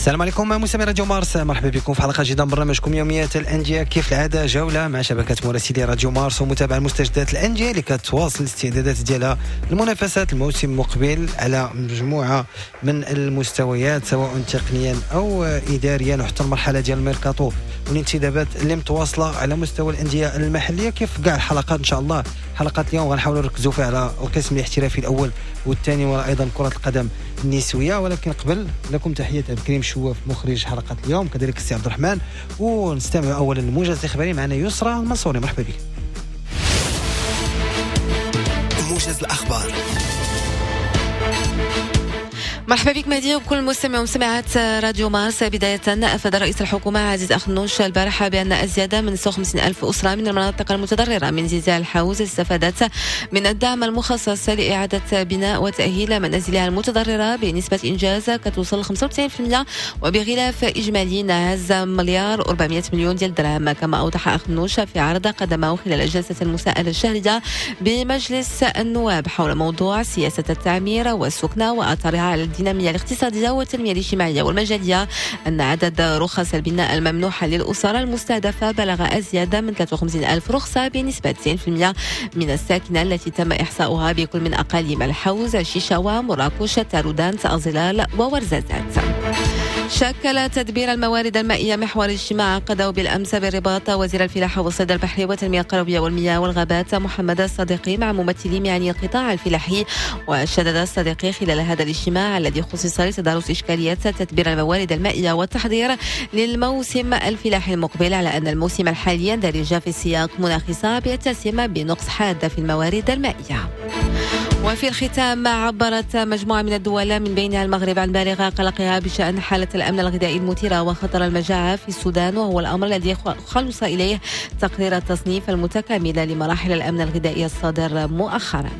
السلام عليكم مستمعي راديو مارس، مرحبا بكم في حلقة جديدة من برنامجكم يوميات الاندية. كيف العادة جولة مع شبكة مراسلي راديو مارس ومتابعة المستجدات الاندية اللي كتواصل الاستعدادات ديالها لمنافسات الموسم المقبل على مجموعة من المستويات سواء تقنيا او اداريا، وحتى المرحلة ديال الميركاتو والانتدابات اللي متواصلة على مستوى الاندية المحلية. كيف كاع الحلقات ان شاء الله، حلقات اليوم غنحاولوا نركزوا فيها على القسم الاحترافي الاول والثاني وايضا كره القدم النسوية. ولكن قبل لكم تحية عبد الكريم شواف مخرج حلقة اليوم، كذلك السي عبد الرحمن، ونستمع اولا للموجز الاخباري معنا يسرى المنصوري. مرحبا بك. موجز الاخبار. مرحبا بك مهدي وبكل المستمعين ومستمعات راديو مارس. بداية، أفاد رئيس الحكومة عزيز أخنوش البارحة بأن أزيد من 56 ألف أسرة من المناطق المتضررة من زلزال الحوز استفادت من الدعم المخصص لإعادة بناء وتأهيل منازلها المتضررة بنسبة إنجاز كتوصل 95% وبغلاف إجمالي ناهز 1,4 مليار ديال الدرهم. كما أوضح أخنوش في عرض قدمه خلال جلسة المساءلة الشهرية بمجلس النواب حول موضوع سياسة التعمير والسكنة وأثرها على الدينامية الاقتصادية والتنمية الاجتماعية والمجالية أن عدد رخص البناء الممنوحة للأسر المستهدفة بلغ أزيد من 53 ألف رخصة بنسبة 90% من الساكنة التي تم إحصاؤها بكل من أقاليم الحوز، شيشاوة، مراكش، تارودانت، أزيلال وورزازات. شكل تدبير الموارد المائية محور اجتماع عقده بالأمس بالرباط وزير الفلاحة والصيد البحري والتنمية القروية والمياه والغابات محمد الصديقي مع ممثلي معني القطاع الفلاحي. وشدد الصديقي خلال هذا الاجتماع الذي خصص لتدارس إشكاليات تدبير الموارد المائية والتحضير للموسم الفلاحي المقبل على أن الموسم الحالي يندرج في سياق مناخي صعب يتسم بنقص حاد في الموارد المائية. وفي الختام، عبرت مجموعة من الدول من بينها المغرب عن بالغ قلقها بشأن حالة الأمن الغذائي المثيرة وخطر المجاعة في السودان، وهو الأمر الذي خلص إليه تقرير التصنيف المتكامل لمراحل الأمن الغذائي الصادر مؤخرا.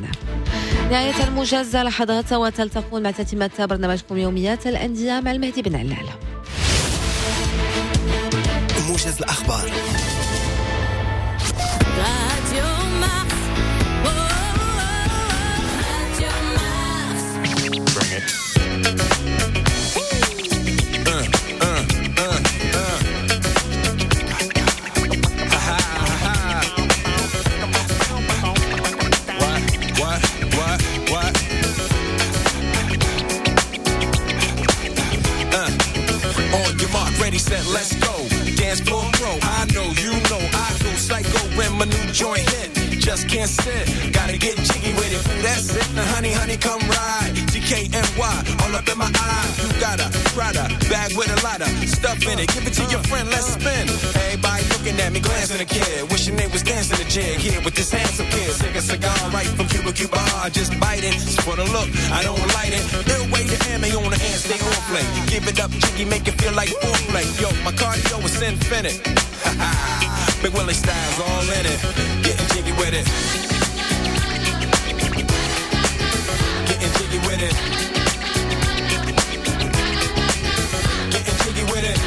نهاية الموجز، لحظات وتلتقون مع تتمة برنامجكم يوميات الأندية مع المهدي بن علال. موجز الأخبار. Radio Mars. Oh, Radio Mars. Bring it. Ha ha ha. What, what, what, what? On your mark, ready, set, let's go. Dance floor pro. I know, you know, I go psycho when my new joint hit. Just can't sit, gotta get jiggy with it. That's it, now honey, honey, come ride. DKNY, all up in my eye. You got a Prada bag with a lot of stuff in it. Give it to your friend, let's spin. Everybody looking at me, glancing a kid, wishing they was dancing a jig here with this handsome kid. Sick a cigar right from Cuba, Cuba. I just bite it. It's for the look, I don't light it. Ill way to ammo on the hand, stay on play. Give it up, jiggy, make it feel like foreplay. Yo, my cardio is infinite. Ha ha. Big Willie style's all in it. Getting jiggy with it. Getting jiggy with it. Getting jiggy with it.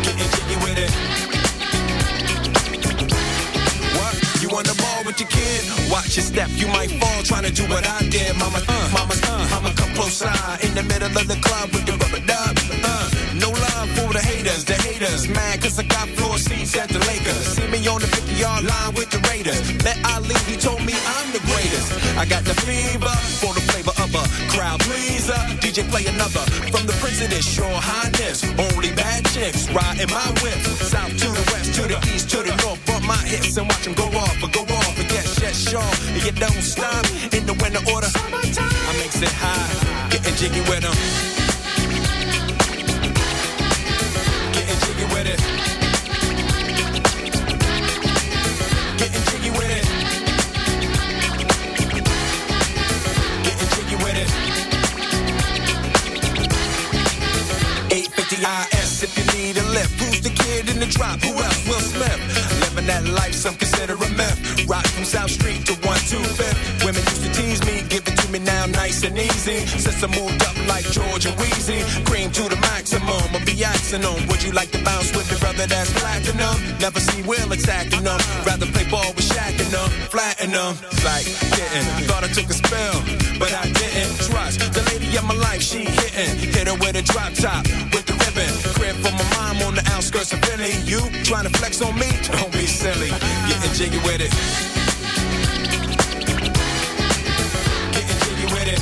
Getting jiggy with it. What? You on the ball with your kid? Watch your step, you might fall trying to do what I did. Mama, mama, I'ma come close side in the middle of the club with the rubber dub. No love for the haters mad cause I got floor seats at the Lakers. See me on the 50-yard line with the Raiders. Met Ali, he told me I'm the greatest. I got the fever for the flavor of a crowd pleaser. DJ play another from the Prince of this, your highness. Only bad chicks riding my whip. South to the west, to the east, to the north. Bump my hips and watch them go off, but go off. And yes, yes, sure. And you don't stop in the winter order. I makes it high, getting jiggy with them. Getting jiggy with it. Getting jiggy with it. Getting jiggy with it. 850 IS if you need a lift. Who's the kid in the drop? Who else? Will Smith. Living that life, some consider a myth. Rock from South Street to 125th. Women used to tease me, give it to me. me now nice and easy. Since I moved up like George and Wheezy, cream to the maximum, I'll be axing them. Would you like to bounce with the brother that's platinum? Never see Will attacking them. Rather play ball with Shaq and them, flatten them. Like didn't, thought I took a spell, but I didn't. Trust the lady of my life, she hitting. Hit her with a drop top, with the ribbon. Crib for my mom on the outskirts of Philly. You trying to flex on me? Don't be silly. Getting jiggy with it. Getting jiggy with it.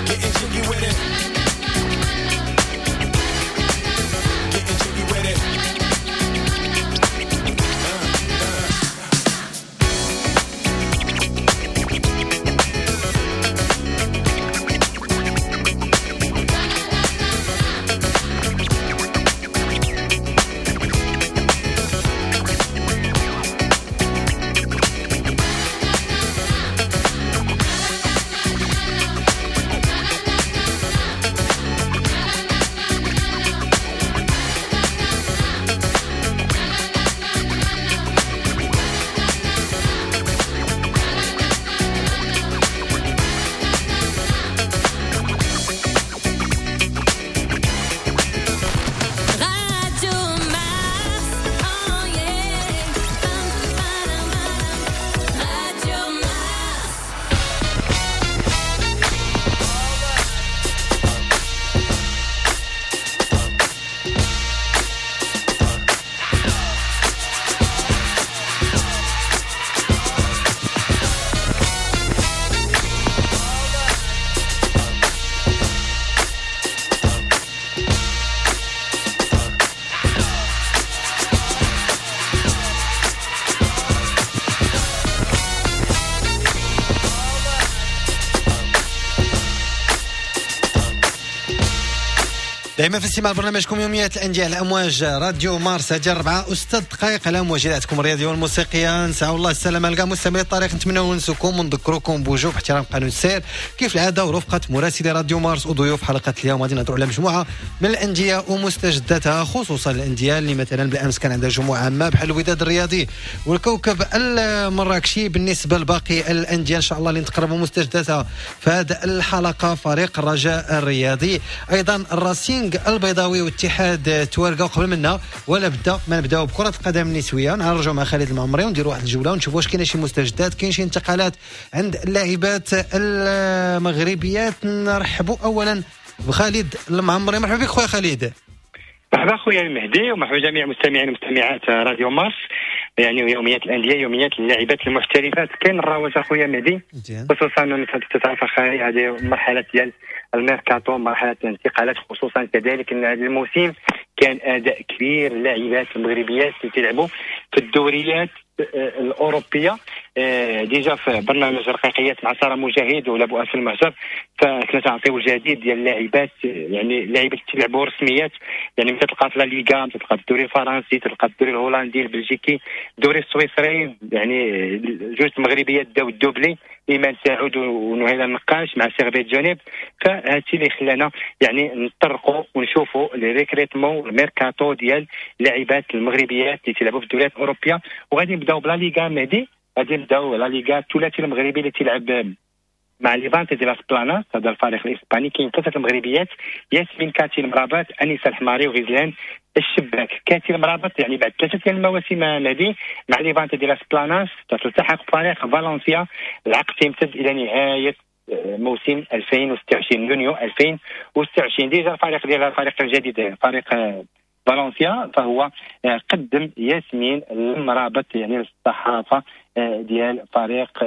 Getting jiggy with it. Getting jiggy with it. Radio Mars, oh yeah. Radio Mars. دائما في استماع برنامجكم يوميات الاندية على امواج راديو مارس. هذه 4:06 دقائق على امواج اذاعتكم الرياضية والموسيقيه. نسعى الله السلامة لكاع مستمعي الطريق، نتمنوا ننسوكم ونذكركم بوجوب احترام قانون السير كيف العادة، ورفقه مراسلي راديو مارس وضيوف حلقة اليوم. غادي نهضروا على مجموعة من الاندية ومستجداتها، خصوصا الاندية اللي مثلا بالامس كان عندها جمعه عامة بحال الوداد الرياضي والكوكب المراكشي. بالنسبة لباقي الاندية ان شاء الله اللي نتقربوا مستجداتها في هذه الحلقة، فريق الرجاء الرياضي، ايضا الراسينغ البيضاوي واتحاد توارقه. وقبل منا ولا بدا ما نبداو بكره القدم النسوية، نرجعوا مع خالد المعمري ونديروا واحد الجولة ونشوفوا واش كاينه شي مستجدات، كاين شي انتقالات عند اللاعبات المغربيات. نرحبوا اولا بخالد المعمري. مرحبا بك خويا خالد. مرحبا خويا المهدي، ومرحبا جميع المستمعين ومستمعات راديو مارس. يعني يوميات الاندية، يوميات اللاعبات المحترفات. كاين الرواج اخويا مهدي، خصوصا انك تتعرف اخي هذه مرحلة ديال الميركاتو، مرحلة الانتقالات، خصوصا كذلك ان هذا الموسم كان اداء كبير اللاعبات المغربيات اللي تلعبوا في الدوريات الاوروبية. déjà في برنامج رقيقيات مع ساره مجاهد ولا بؤس المعجر، فكنا تنعطيو الجديد ديال اللاعبات، يعني اللاعبات اللي تلعبوا رسميات، يعني متى تلقى في لا ليغا، تلقى في الدوري الفرنسي، تلقى في الدوري الهولندي، البلجيكي، الدوري السويسري. يعني جوج المغربيات داو ال doublé، ايمان سعود ونهيله النقاش مع سيرفيت جنيف. فهادشي اللي خلانا يعني نطرقوا ونشوفوا les recrutements، الميركاتو ديال اللاعبات المغربيات اللي تلعبوا في الدوريات الاوروبية. وغادي نبداو بلا ليغا مهدي، غادي نبداو لا ليغا الثلاثي المغربي اللي تلعب مع ليفانتي دي لاس بلاناس، هذا الفريق الاسباني. كاين ثلاثة المغربيات، ياسمين كاتي المرابط، انيسة الحماري، وغزلان الشباك. كاتي المرابط يعني بعد ثلاثة ديال المواسم مهدي مع ليفانتي دي لاس بلاناس تلتحق فريق فالنسيا. العقد تيمتد الى نهاية موسم 2026 يونيو 2026. déjà الفريق ديال الفريق الجديد فريق فالنسيا فهو قدم ياسمين المرابط يعني للصحافة ديال فريق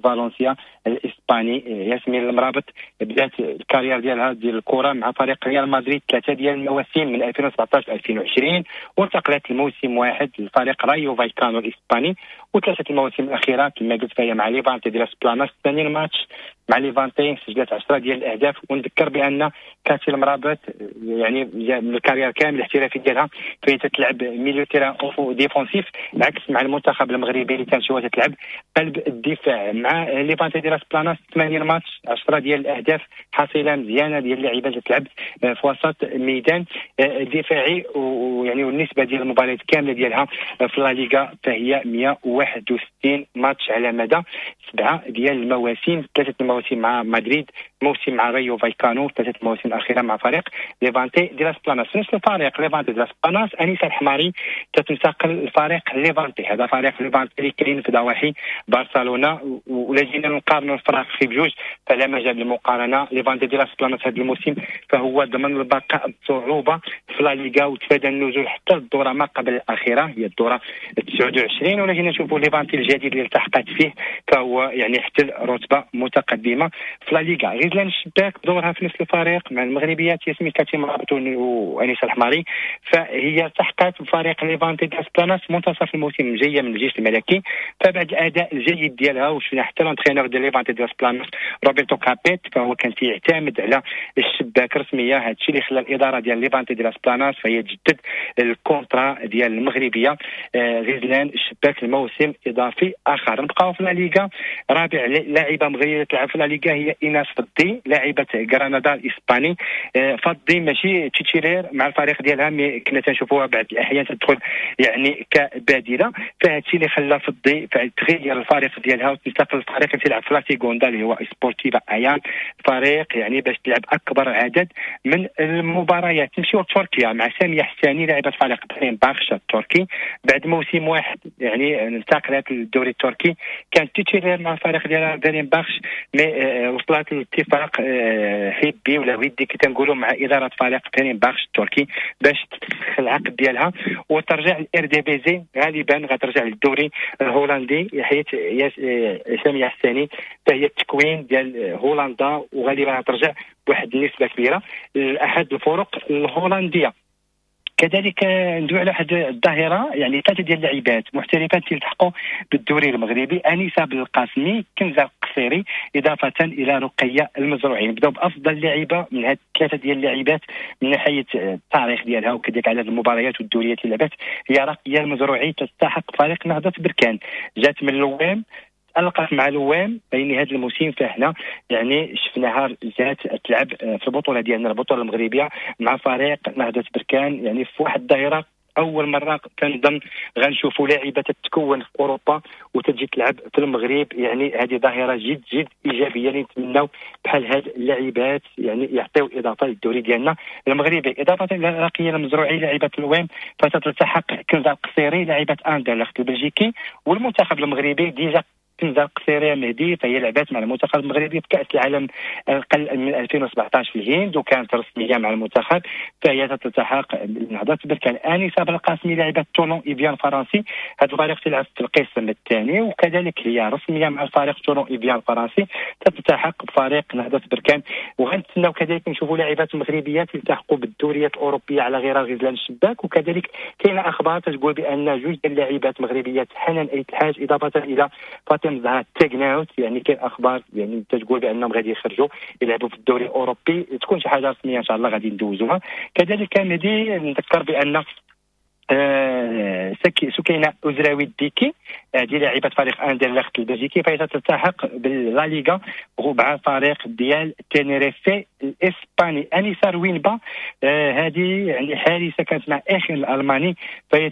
فالنسيا الاسباني. ياسمين المرابط بدات ال carrière ديالها ديال الكره مع فريق ريال مدريد ثلاثة ديال المواسم من 2017 2020، وانتقلت لموسم واحد لفريق رايو فايكانو الاسباني، وثلاثة المواسم الاخيرة كما قلت فهي مع ليفانتي ديال بلاناس. ثاني الماتش مع ليفانتي سجلت 10 ديال الاهداف. ونذكر بان كاتي المرابط يعني ال carrière كامل الاحترافي ديالها فهي تتلعب milieu terrain défensif، عكس مع المنتخب المغربي اللي تنشوفها تتلعب قلب الدفاع. مع ليفانتي ديال بلاناس 80 ماتش 10 ديال الاهداف، حصيله مزيانه ديال اللعيبة اللي تلعب في وسط الميدان دفاعي. ويعني والنسبه ديال المباريات كاملة ديالها في لا ليغا فهي 101. 61 ماتش على مدى 7 ديال المواسم، 3 المواسم مع مدريد، موسم مع ريو فايكانو، 3 المواسم الاخيرة مع فريق ليفانتي دي لاس بلاناس. نفس الفريق ليفانتي دي لاس بلاناس، انيسة الحماري تتنتقل لفريق ليفانتي، هذا فريق ليفانتي اللي كاين في ضواحي برشلونة. ولا جينا نقارنوا الفرق في بجوج فلا مجال للمقارنه. ليفانتي دي لاس بلاناس هذا الموسم فهو ضمن البقاء بصعوبة في لا ليغا وتفادى النزول حتى الدورة ما قبل الاخيرة هي الدورة 29. ولا جينا نشوفوا ليفانتي الجديد اللي التحقت فيه فهو يعني احتل رتبه متقدمة في لا ليغا. غزلان الشباك بدورها في نفس الفريق مع المغربيات ياسمين كاتي مرابط وانيسه الحماري، فهي التحقت بفريق ليفانتي دي لاس بلاناس منتصف الموسم جاية من الجيش الملكي. فبعد الاداء الجيد ديالها وشفنا حتى l'entraîneur ديال ليفانتي دي لاس بلاناس روبرتو كابيت فهو كان تيعتمد على الشباك رسمية، هذا الشيء اللي خلى الادارة ديال ليفانتي دي لاس بلاناس فهي تجدد ال contrat ديال المغربية غزلان الشباك الموسم اضافي اخر. نبقاو في لا ليغا، رابع لاعبه مغربية تلعب في لا ليغا هي ايناس فضي لاعبه غرناطة الاسباني. فضي ماشي titulaire مع الفريق ديالها، mais كنا تنشوفوها بعض الاحيان تدخل يعني كبادله، فهذا الشيء اللي خلى فضي تغير الفريق ديالها وتنتقل للفريق اللي تلعب في لا سيغوندا اللي هو سبورتيفا ايان، فريق يعني باش تلعب اكبر عدد من المباريات. نمشيو لتركيا مع سامية حساني لاعبه فريق باخش التركي، بعد موسم واحد يعني انتقلت للدوري التركي، كانت titulaire مع الفريق ديالها باخش، mais وصلت لاتفاق حبي ولا ودي كي تنقولوا مع ادارة فريق باخش التركي باش تفسخ العقد ديالها وترجع للارديفيزي، غالبا غترجع للدوري الهولندي حيت سامية حساني فهي التكوين ديال هولندا وغالبا غترجع بواحد النسبة كبيرة لاحد الفرق الهولندية. كذلك ندوي على واحد الظاهرة يعني ثلاثة ديال اللاعبات محترفات تلتحقوا بالدوري المغربي، انيسة بالقاسمي، كنزه القصيري، اضافه الى رقيه المزروعي. نبداو بافضل لاعبه من هاد الثلاثة ديال اللاعبات من ناحية التاريخ ديالها وكذلك عدد المباريات والدوريات اللي لعبت، هي رقيه المزروعي تلتحق فريق نهضة بركان، جات من لوام تألقت مع لوام بين هذا الموسم، فاحنا يعني شفناها جات تلعب في البطولة ديالنا البطولة المغربية مع فريق نهضة بركان، يعني في واحد الظاهرة اول مرة كنظن غنشوفوا لاعبه تتكون في اوروبا وتجي تلعب في المغرب، يعني هذه ظاهره جد جد ايجابية اللي نتمناو بحال هاد اللاعبات يعني يعطيو اضافه للدوري ديالنا المغربي. اضافه الى رقيه المزروعي لاعبه الوام فتتلتحق كنزه القصيري لاعبه اندرلخت البلجيكي والمنتخب المغربي. déjà كنزه القصيري مهدي فهي لعبات مع المنتخب المغربي في كأس العالم اقل من 2017 في الهند وكانت رسمية مع المنتخب، فهي تلتحق بنهضه بركان. انيسة بالقاسمي لاعبه تولون ايفيان الفرنسي، هذا الفريق تلعب في القسم الثاني وكذلك هي رسمية مع الفريق تولون ايفيان الفرنسي، تلتحق بفريق نهضة بركان. وغنتسناو كذلك نشوفوا لاعبات مغربيات يلتحقوا بالدوريات الاوروبية على غرار غزلان الشباك، وكذلك كاينه اخبار تقول بان جوج ديال اللاعبات مغربيات حنان ايت الحاج اضافه الى فاطمة زهرة تاغناوت، يعني كاين اخبار يعني تقول بانهم غادي يخرجوا يلعبوا في الدوري الاوروبي، تكون شي حاجة رسمية ان شاء الله غادي ندوزوها. كذلك مهدي نذكر بان سكينة أزراوي الديكي هذه لاعبه فريق اندرلخت البلجيكي فهي تلتحق باللا ليغا مع فريق ديال تينيريفي الاسباني. انيسة روينبا هذه يعني حارسه كانت مع اخر الالماني، فهي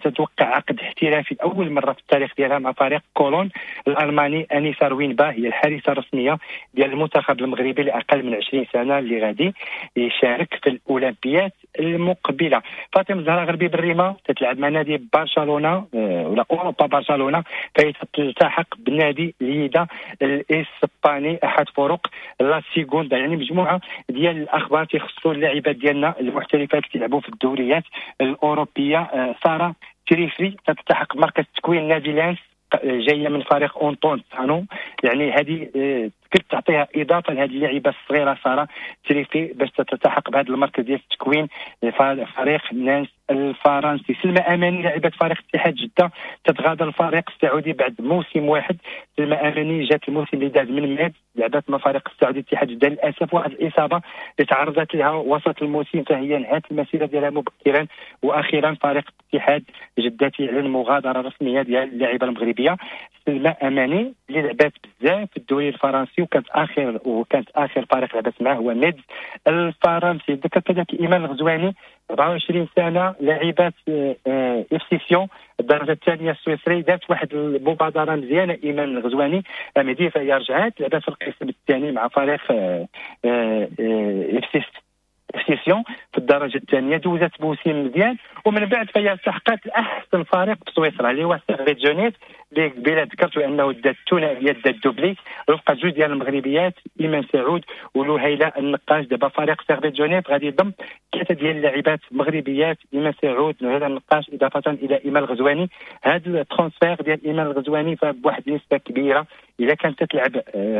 تتوقع عقد احترافي اول مرة في التاريخ ديالها مع فريق كولون الالماني. انيسة روينبا هي الحارسه الرسمية ديال المنتخب المغربي لاقل من 20 سنة اللي غادي يشارك في الاولمبيات المقبلة. فاطمة الزهراء غربي بالريمه تتلعب مع نادي برشلونة ولا اوروبا برشلونة، فهي تلتحق بنادي ليدا الاسباني احد فرق لا سيغوندا. يعني مجموعة ديال الاخبار تيخصوا اللاعبات ديالنا المحترفات اللي تيلعبوا في الدوريات الاوروبية. ساره تريفري تلتحق مركز تكوين نادي لانس جاية من فريق اونطون سانو، يعني هذه كنت تعطيها اضافه لهذه اللاعبه الصغيرة ساره تريفي باش تلتحق بهذا المركز ديال التكوين فريق نانس الفرنسي. سلمى اماني لاعبه فريق اتحاد جده تتغادر الفريق السعودي بعد موسم واحد. سلمى اماني جات الموسم اللي داز من ماد لعبت مع فريق السعودي اتحاد جده، للاسف واحد الاصابة اللي تعرضت لها وسط الموسم فهي انهت المسيرة ديالها مبكرا، واخيرا فريق اتحاد جده تعلن مغادرة رسمية ديال اللاعبه المغربية سلمى اماني اللي لعبات بزاف في الدوري الفرنسي وكانت اخر فريق لعبت معه هو ميدز الفرنسي. ذكر كذلك ايمان الغزواني 24 سنة، لاعبات FC سيون الدرجة الثانية السويسري. دارت واحد المبادرة مزيانه ايمان الغزواني مهدي، فهي رجعات لعبات في القسم الثاني مع فريق FC سيون في الدرجة الثانية، دوزت موسم مزيان، ومن بعد فهي التحقت لاحسن فريق في سويسرا اللي هو سيرفيت جنيف، اللي قبيلة ذكرت انه دات الثنائية، دات doublé رفقه جوج ديال المغربيات ايمان سعود ولهيله النقاش. دابا فريق سيرفيت جنيف غادي يضم 3 ديال اللاعبات مغربيات، ايمان سعود، لهيله النقاش، اضافه الى ايمان الغزواني. هذا ال transfert ديال ايمان الغزواني فبواحد النسبة كبيرة اذا كانت تلعب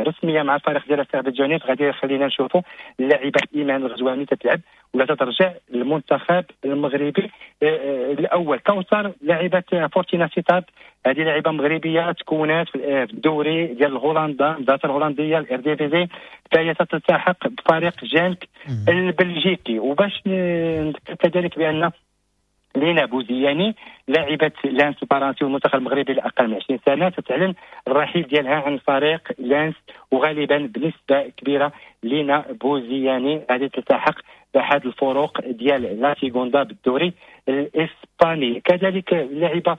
رسمية مع الفريق ديال سيرفيت جنيف غادي يخلينا نشوفوا اللاعبه ايمان الغزواني تتلعب ولا تترجع للمنتخب المغربي الاول. كوثر لاعبه فورتينا سيتارد، هذه لاعبه مغربية تكونات في الدوري ديال هولندا، المدرسة الهولندية الإرديفيزي، فهي تتلتحق بفريق جانك البلجيكي. وباش نذكر كذلك بان لينا بوزياني لاعبة لانس الفرنسي والمنتخب المغربي الأقل من 20 سنة تتعلن الرحيل ديالها عن فريق لانس، وغالبا بنسبة كبيرة لينا بوزياني غادي تلتحق بأحد الفروق ديال لا سيغوندا بالدوري الإسباني. كذلك اللاعبة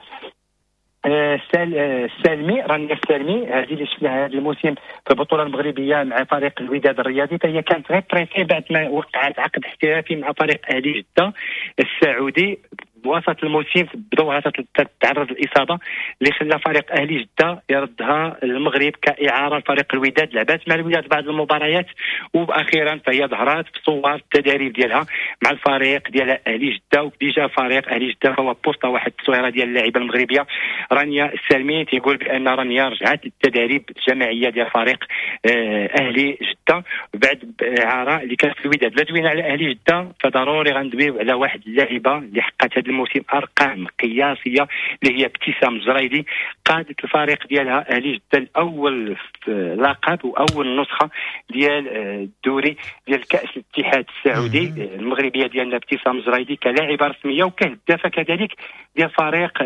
السالمي، رانيا السالمي، هذه اللي شفناها هذا الموسم في البطولة المغربية مع فريق الوداد الرياضي، فهي كانت غير prêtée بعد ما وقعت عقد احترافي مع فريق اهلي جده السعودي. بوسط الموسم بدورها تتعرض للاصابة اللي خلى فريق اهلي جده يردها المغرب كاعاره لفريق الوداد. لعبات مع الوداد بعض المباريات، واخيرا فهي ظهرات في صور التدريب ديالها مع الفريق ديال اهلي جده. و déjà فريق اهلي جده هو posta واحد التصويره ديال اللاعبه المغربية رانيا السالمي، تيقول بان رانيا رجعت للتدريب الجماعية ديال فريق اهلي جده بعد اعاره اللي كانت في الوداد. لا دوينا على اهلي جده فضروري غندويو على واحد اللاعبه اللي حققت هذا الموسم ارقام قياسية اللي هي ابتسام الجريدي، قادت الفريق ديالها اهلي جده الاول في لقب واول نسخه ديال الدوري ديال كاس الاتحاد السعودي. المغربية ديالنا ابتسام الجريدي كلاعبه رسمية وكهدافه كذلك ديال فريق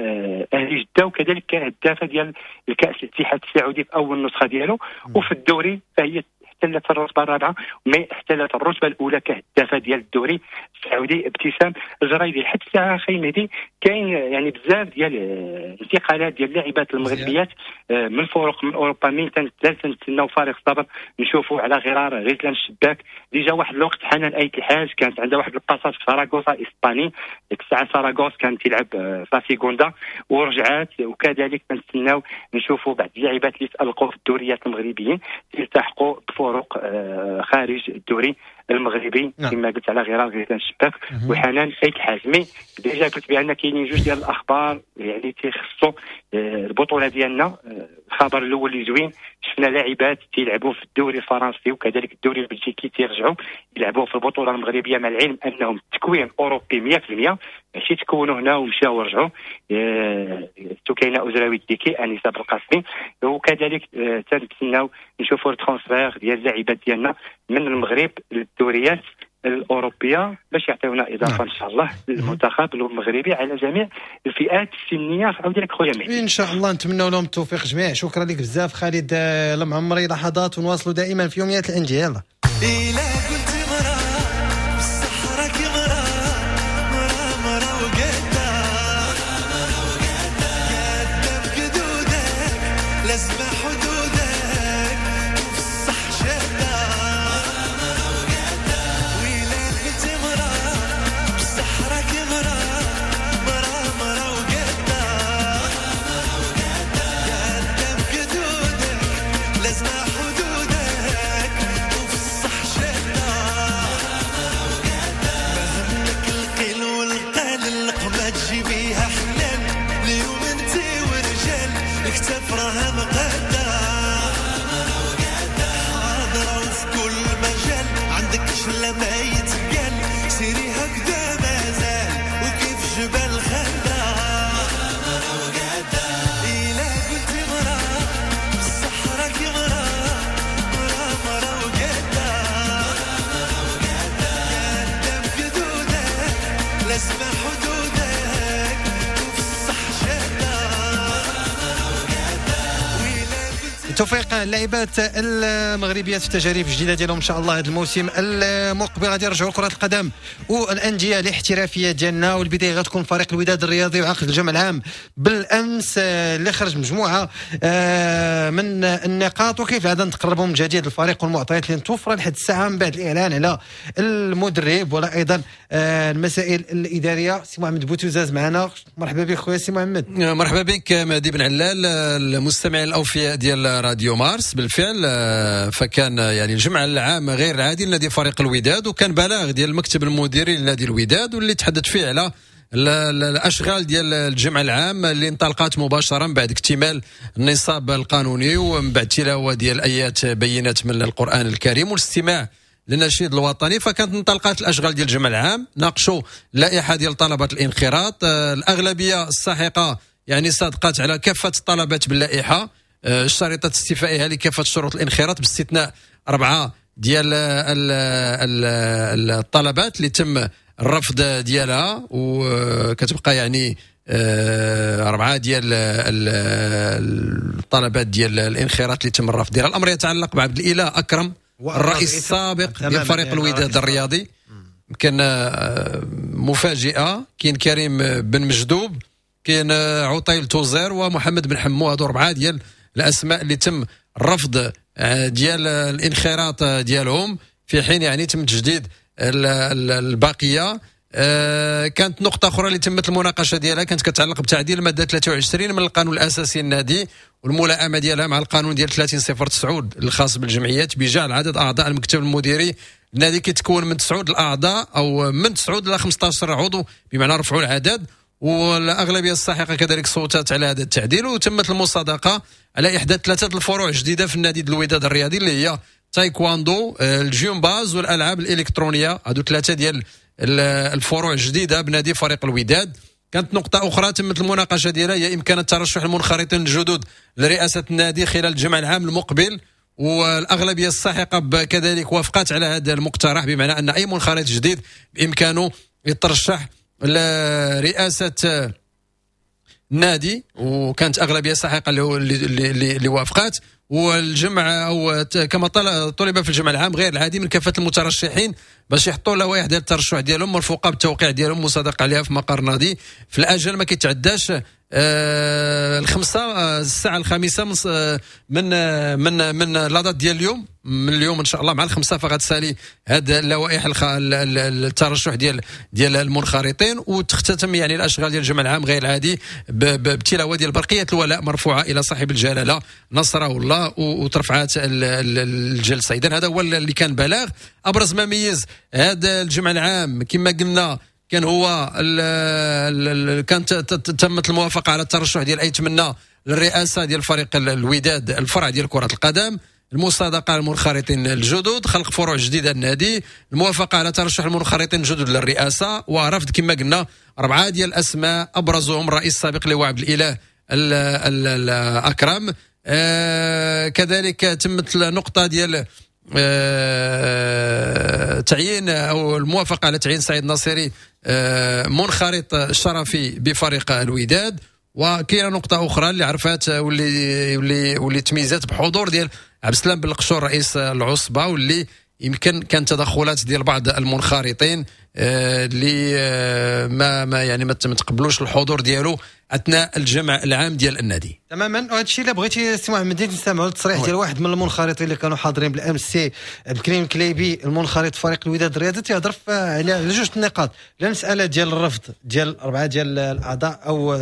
اهلي جده، وكذلك كهدافه ديال الكاس الاتحاد السعودي في اول نسخه ديالو. وفي الدوري فهي احتلت الرتبة الرابعة، mais احتلت الرتبة الاولى كهدافه ديال الدوري السعودي ابتسام الجريدي. لحد الساعة اخي مهدي كاين يعني بزاف ديال الانتقالات ديال اللاعبات المغربيات من فرق من اوروبا، من تنتسناو فارغ الصبر نشوفوا على غرار غزلان الشباك. déjà واحد الوقت حنان ايت الحاج كانت عندها واحد ال passage في ساراغوسا اسباني، ديك الساعة ساراغوس كانت تلعب في سيغوندا ورجعات. وكذلك تنتسناو نشوفوا بعض اللاعبات اللي تالقوا في الدوريات المغربيين يلتحقوا بفرق خارج الدوري المغربي. نعم. كما قلت على غرار غزلان الشباك وحنان ايت الحاج. mais déjà قلت بان كاينين جوج ديال الاخبار يعني تيخصوا البطولة ديالنا. الخبر الاول اللي زوين، شفنا لاعبات تيلعبوا في الدوري الفرنسي وكذلك الدوري البلجيكي تيرجعوا يلعبوا في البطولة المغربية، مع العلم انهم تكوين اوروبي 100%، ماشي تكونوا هنا ومشاو ورجعوا. سكينة أزراوي الديكي، انيسة بالقاسمي، وكذلك تنتسناو نشوفوا ال transfert ديال اللاعبات ديالنا من المغرب للدوريات الاوروبية باش يعطيونا اضافه. نعم. ان شاء الله للمنتخب المغربي على جميع الفئات السنية. عاود لك خويا مهدي، ان شاء الله نتمنوا لهم التوفيق جميع. شكرا لك بزاف خالد المعمري. لحظات ونواصلوا دائما في يوميات الاندية. يلا لازم حدودك وفي الصح شادة. بالتوفيق اللاعبات المغربيات في التجارب الجديدة ديالهم ان شاء الله هذا الموسم المقبل. غادي يرجعوا كره القدم والاندية الاحترافية ديالنا، والبداية غتكون فريق الوداد الرياضي وعقد الجمع العام بالامس اللي خرج مجموعة من النقاط، وكيف هذا نتقربوا من جديد الفريق والمعطيات اللي متوفرة لحد الساعة من بعد الاعلان على المدرب ولا ايضا المسائل الادارية. سي محمد بوتوزاز معنا، مرحبا بك خويا سي محمد. مرحبا بك مهدي بن علال، المستمعين الاوفياء ديال راديو مارس. بالفعل فكان يعني الجمع العام غير العادي لنادي فريق الوداد، وكان بلاغ ديال المكتب المديري لنادي الوداد واللي تحدث فيه على الاشغال ديال الجمع العام اللي انطلقت مباشرة بعد اكتمال النصاب القانوني ومن بعد تلاوة ديال ايات بينات من القران الكريم والاستماع للنشيد الوطني. فكانت انطلقت الاشغال ديال الجمع العام، ناقشوا اللائحة ديال طلبات الانخراط، الاغلبية الساحقة يعني صادقت على كافة الطلبات باللائحه، شريطه استيفائها لكافة شروط الانخراط باستثناء 4 ديال الطلبات اللي تم الرفض ديالها، وكتبقى يعني 4 ديال الطلبات ديال الانخراط اللي تم الرفض ديالها. الامر يتعلق بعبد الاله اكرم الرئيس السابق ديال فريق الوداد الرياضي، كان مفاجئة. كاين كريم بن مجدوب، كاين عطيل توزير، ومحمد بن حمو. هادو 4 ديال الاسماء اللي تم الرفض ديال الانخراط ديالهم، في حين يعني تم تجديد الباقية. كانت نقطة اخرى اللي تمت المناقشة ديالها كانت كتعلق بتعديل المادة 23 من القانون الاساسي للنادي والملائمه ديالها مع القانون ديال 30.09 الخاص بالجمعيات، بجعل عدد اعضاء المكتب المديري النادي كيتكون من 9 الاعضاء او من 9 الى 15 عضو، بمعنى رفعوا العدد. والاغلبيه الساحقة كذلك صوتت على هذا التعديل، وتمت المصادقة على احداث 3 الفروع جديدة في النادي الوداد الرياضي اللي هي تايكواندو، الجيمباز، والالعاب الالكترونية. هادو 3 ديال الفروع الجديدة بنادي فريق الوداد. كانت نقطة اخرى تمت المناقشة ديالها هي امكان ترشح المنخرطين الجدد لرئاسة النادي خلال الجمع العام المقبل، والاغلبيه الساحقة كذلك وافقت على هذا المقترح، بمعنى ان اي منخرط جديد بامكانه يترشح لرئاسة النادي، وكانت اغلبية ساحقة اللي وافقات. والجمع او كما طلب في الجمع العام غير العادي من كافة المترشحين باش يحطوا لوائح ديال الترشح ديالهم مرفوقه بالتوقيع ديالهم مصادق عليها في مقر النادي في الاجل ما كيتعداش الساعة 5 من من من la date ديال اليوم، من اليوم ان شاء الله مع 5 فغتسالي هاد اللوائح الترشح ديال المنخرطين، وتختتم يعني الاشغال ديال الجمع العام غير العادي بتلاوة ديال برقية الولاء مرفوعة الى صاحب الجلاله نصره الله وترفعات الجلسة. اذا هذا هو اللي كان بلاغ. ابرز ما ميز هذا الجمع العام كما قلنا كان هو كانت تمت الموافقة على الترشح ديال ايتمنى للرئاسة ديال فريق الوداد الفرع ديال كره القدم، المصادقة على المنخرطين الجدد، خلق فروع جديدة للنادي، الموافقة على ترشح المنخرطين الجدد للرئاسة، ورفض كما قلنا 4 ديال الاسماء ابرزهم الرئيس السابق اللي هو عبد الاله الاكرم. كذلك تمت النقطة ديال تعيين او الموافقة على تعيين سعيد ناصري منخرط شرفي بفريق الوداد. وكاينه نقطة اخرى اللي عرفات واللي تميزات بحضور ديال عبد السلام بالقشور رئيس العصبة، واللي يمكن كان تدخلات ديال بعض المنخرطين اللي ما يعني ما تقبلوش الحضور ديالو اثناء الجمع العام ديال النادي. تماما، وهذا الشيء اللي بغيتي سي محمد نستمعوا للتصريح ديال واحد من المنخرطين اللي كانوا حاضرين بالامس، سي عبد الكريم كليبي المنخرط فريق الوداد الرياضي، تيهضر على جوج النقاط، لا المسالة ديال الرفض ديال 4 ديال الاعضاء او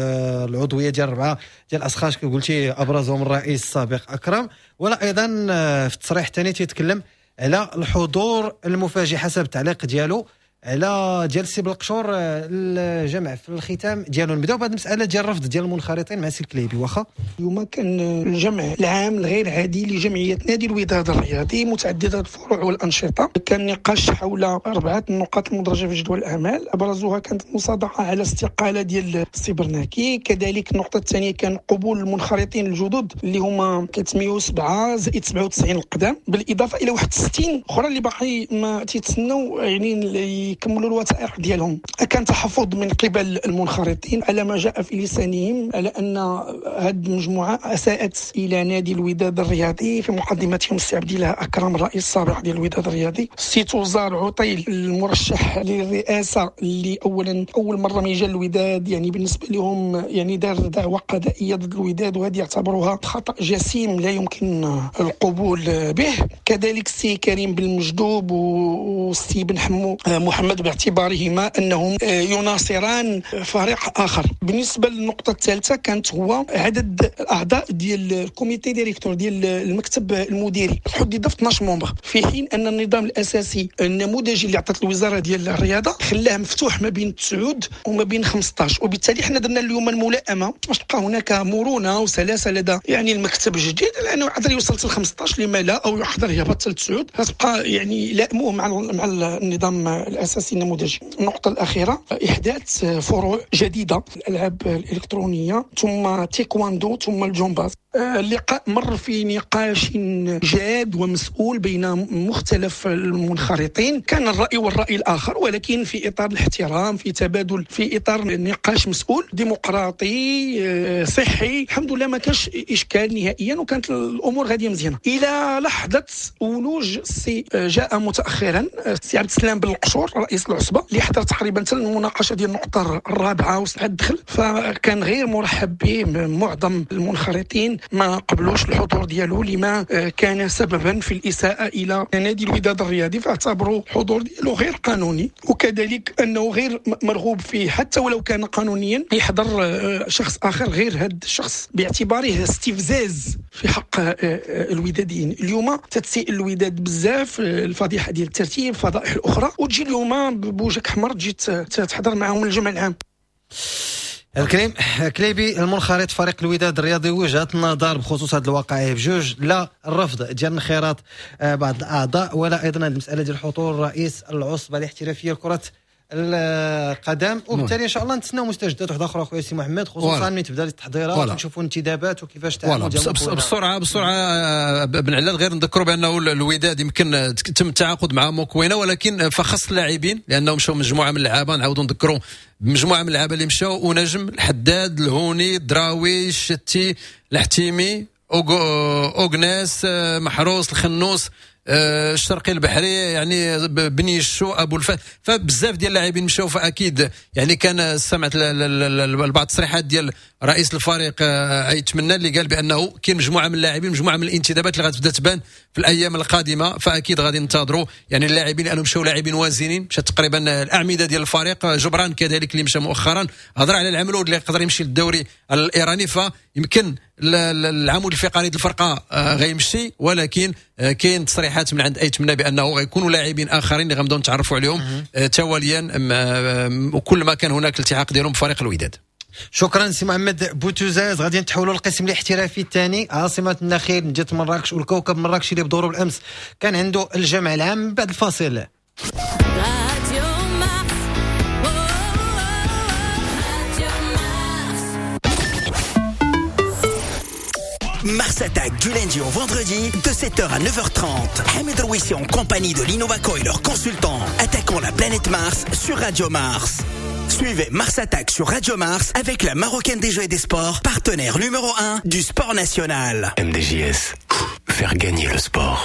العضوية ديال 4 ديال الاشخاص كي قلتي ابرزهم الرئيس السابق اكرم، ولا ايضا في التصريح الثاني تيتكلم على الحضور المفاجئ حسب التعليق ديالو على ديال السي بالقشور الجمع في الختام ديالو. نبداو بهذه المسالة ديال الرفض ديال المنخرطين مع سي الكليبي. واخا اليوم كان الجمع العام الغير عادي لجمعية نادي الوداد الرياضي متعددة الفروع والانشطه، كان نقاش حول 4 النقاط المدرجة في جدول الاعمال، ابرزها كانت المصادقة على استقالة ديال السي برناكي، كذلك النقطة الثانية كان قبول المنخرطين الجدد اللي هما 307 زائد 97 القدام، بالاضافة الى 61 اخرى اللي باقي ما تيتسناو يعني يكملوا الوثائق ديالهم. كان تحفظ من قبل المنخرطين على ما جاء في لسانهم على ان هذه المجموعة اساءت الى نادي الوداد الرياضي، في مقدمتهم السي عبد الله اكرم الرئيس السابق ديال الوداد الرياضي، السي توزار عطيل المرشح للرئاسة اللي اولا اول مرة ما جا الوداد، يعني بالنسبة لهم يعني دار دعوه قضائية ضد الوداد، وهذه يعتبروها خطا جسيم لا يمكن القبول به. كذلك السي كريم بن مجدوب والسي بن حمو محمد باعتبارهما انهم يناصران فريق اخر. بالنسبة للنقطة الثالثة كانت هو عدد الاعضاء ديال ال comité directeur ديال المكتب المديري حدد في 12 membres، في حين ان النظام الاساسي النموذجي اللي عطات الوزارة ديال الرياضة خلاه مفتوح ما بين 9 وما بين 15، وبالتالي حنا درنا اليوم الملائمة باش تبقى هناك مرونة وسلاسه لدى يعني المكتب الجديد، لانه يقدر يوصل حتى 15 لما لا، او يقدر يهبط حتى 9، غتبقى يعني لائموه مع النظام الاساسي النموذجي. النقطة الاخيرة احداث فروع جديدة، الالعاب الالكترونية ثم تايكواندو ثم الجمباز. اللقاء مر في نقاش جاد ومسؤول بين مختلف المنخرطين، كان الرأي والرأي الآخر، ولكن في إطار الاحترام، في تبادل، في إطار نقاش مسؤول ديمقراطي صحي. الحمد لله ما كانش إشكال نهائيا، وكانت الأمور غادية مزيانة إلى لحظة ولوج السي جاء متأخرا السي عبد السلام بالقشور رئيس العصبة اللي حضر تقريبا حتى المناقشة ديال النقطة الرابعة وسعد دخل، فكان غير مرحب به معظم المنخرطين، ما قبلوش الحضور ديالو لما كان سببا في الإساءة إلى نادي الوداد الرياضي، فاعتبروا الحضور ديالو غير قانوني، وكذلك أنه غير مرغوب فيه حتى ولو كان قانونيا يحضر شخص آخر غير هذا الشخص باعتباره استفزاز في حق الوداديين. اليوم تتسيء الوداد بزاف، الفضيحة ديال الترتيب، الفضائح الأخرى، وتجي اليوم بوجهك حمر تجي تحضر معهم الجمع العام. الكريم كليبي المنخرط فريق الوداد الرياضي، وجهة النظر بخصوص هذه الوقائع بجوج، لا الرفض ديال انخراط بعض الاعضاء، ولا ايضا المسالة ديال حضور رئيس العصبة الاحترافية لكرة القدم، وبالتالي ان شاء الله نتسناو مستجدات واحدة اخرى خويا سي محمد، خصوصا ملي تبدا التحضيرات ونشوفوا الانتدابات وكيفاش تعامل ديال بسرعة بن علال. غير نذكروا بانه الوداد يمكن تم التعاقد مع موكوينا، ولكن فخص اللاعبين لانهم مشاو مجموعة من اللعابه، نعاودوا نذكروا مجموعة من اللعابه اللي مشاو: ونجم، الحداد، الهوني، الدراوي، الشتي، الحتيمي، اوغناس، محروس، الخنوس، الشرقي البحري، يعني بنيشو، ابو الفتح. فبزاف ديال اللاعبين مشاو، فاكيد يعني كان سمعت بعض التصريحات ديال رئيس الفريق ايتمنى اللي قال بانه كاين مجموعة من اللاعبين، مجموعة من الانتدابات اللي غتبدا تبان في الايام القادمة، فاكيد غادي ننتظروا يعني اللاعبين لانهم مشاو لاعبين وازنين، مشى تقريبا الاعمدة ديال الفريق. جبران كذلك اللي مشى مؤخرا، هضر على العملود اللي يقدر يمشي للدوري الايراني، فيمكن العمود الفقري ديال الفرقة غيمشي، ولكن كاين تصريحات من عند ايتمنى بانه غيكونوا لاعبين اخرين اللي غنبداو نتعرفوا عليهم تواليا وكل ما كان هناك التحاق ديالهم بفريق الوداد. شكرا سي محمد بوتوزاز. غادي نتحولوا للقسم الاحترافي الثاني، عاصمة النخيل مدينة مراكش والكوكب مراكش اللي بدوره بالامس كان عنده الجمع العام. بعد الفاصل Mars Attack du lundi au vendredi de 7h à 9h30. Hamid Rouissi en compagnie de l'Innovaco et leurs consultants. Attaquons la planète Mars sur Radio Mars. Suivez Mars Attack sur Radio Mars avec la Marocaine des Jeux et des Sports, partenaire numéro 1 du sport national. MDJS, faire gagner le sport.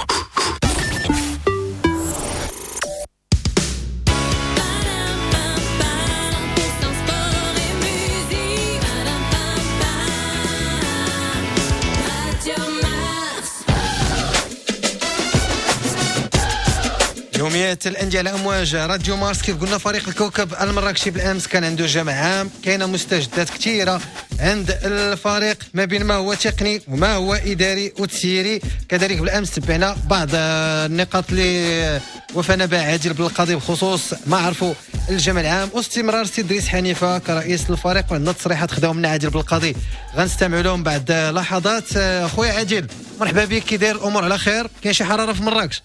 يوميات الأندية على أمواج راديو مارس. كيف قلنا فريق الكوكب المراكشي بالأمس كان عنده جمع عام، كاينة مستجدات كثيرة عند الفريق ما بين ما هو تقني وما هو إداري وتسييري. كذلك بالأمس تبعنا بعض النقاط اللي وفانا بها عادل بالقاضي بخصوص ما عرفوا الجمع العام واستمرار سي دريس حنيفة كرئيس الفريق، وعندنا تصريحات خداهم من عادل بالقاضي غنستمعوا لهم بعد لحظات. خويا عادل مرحبا بك، كي داير الأمور على خير؟ كاين شي حرارة في مراكش؟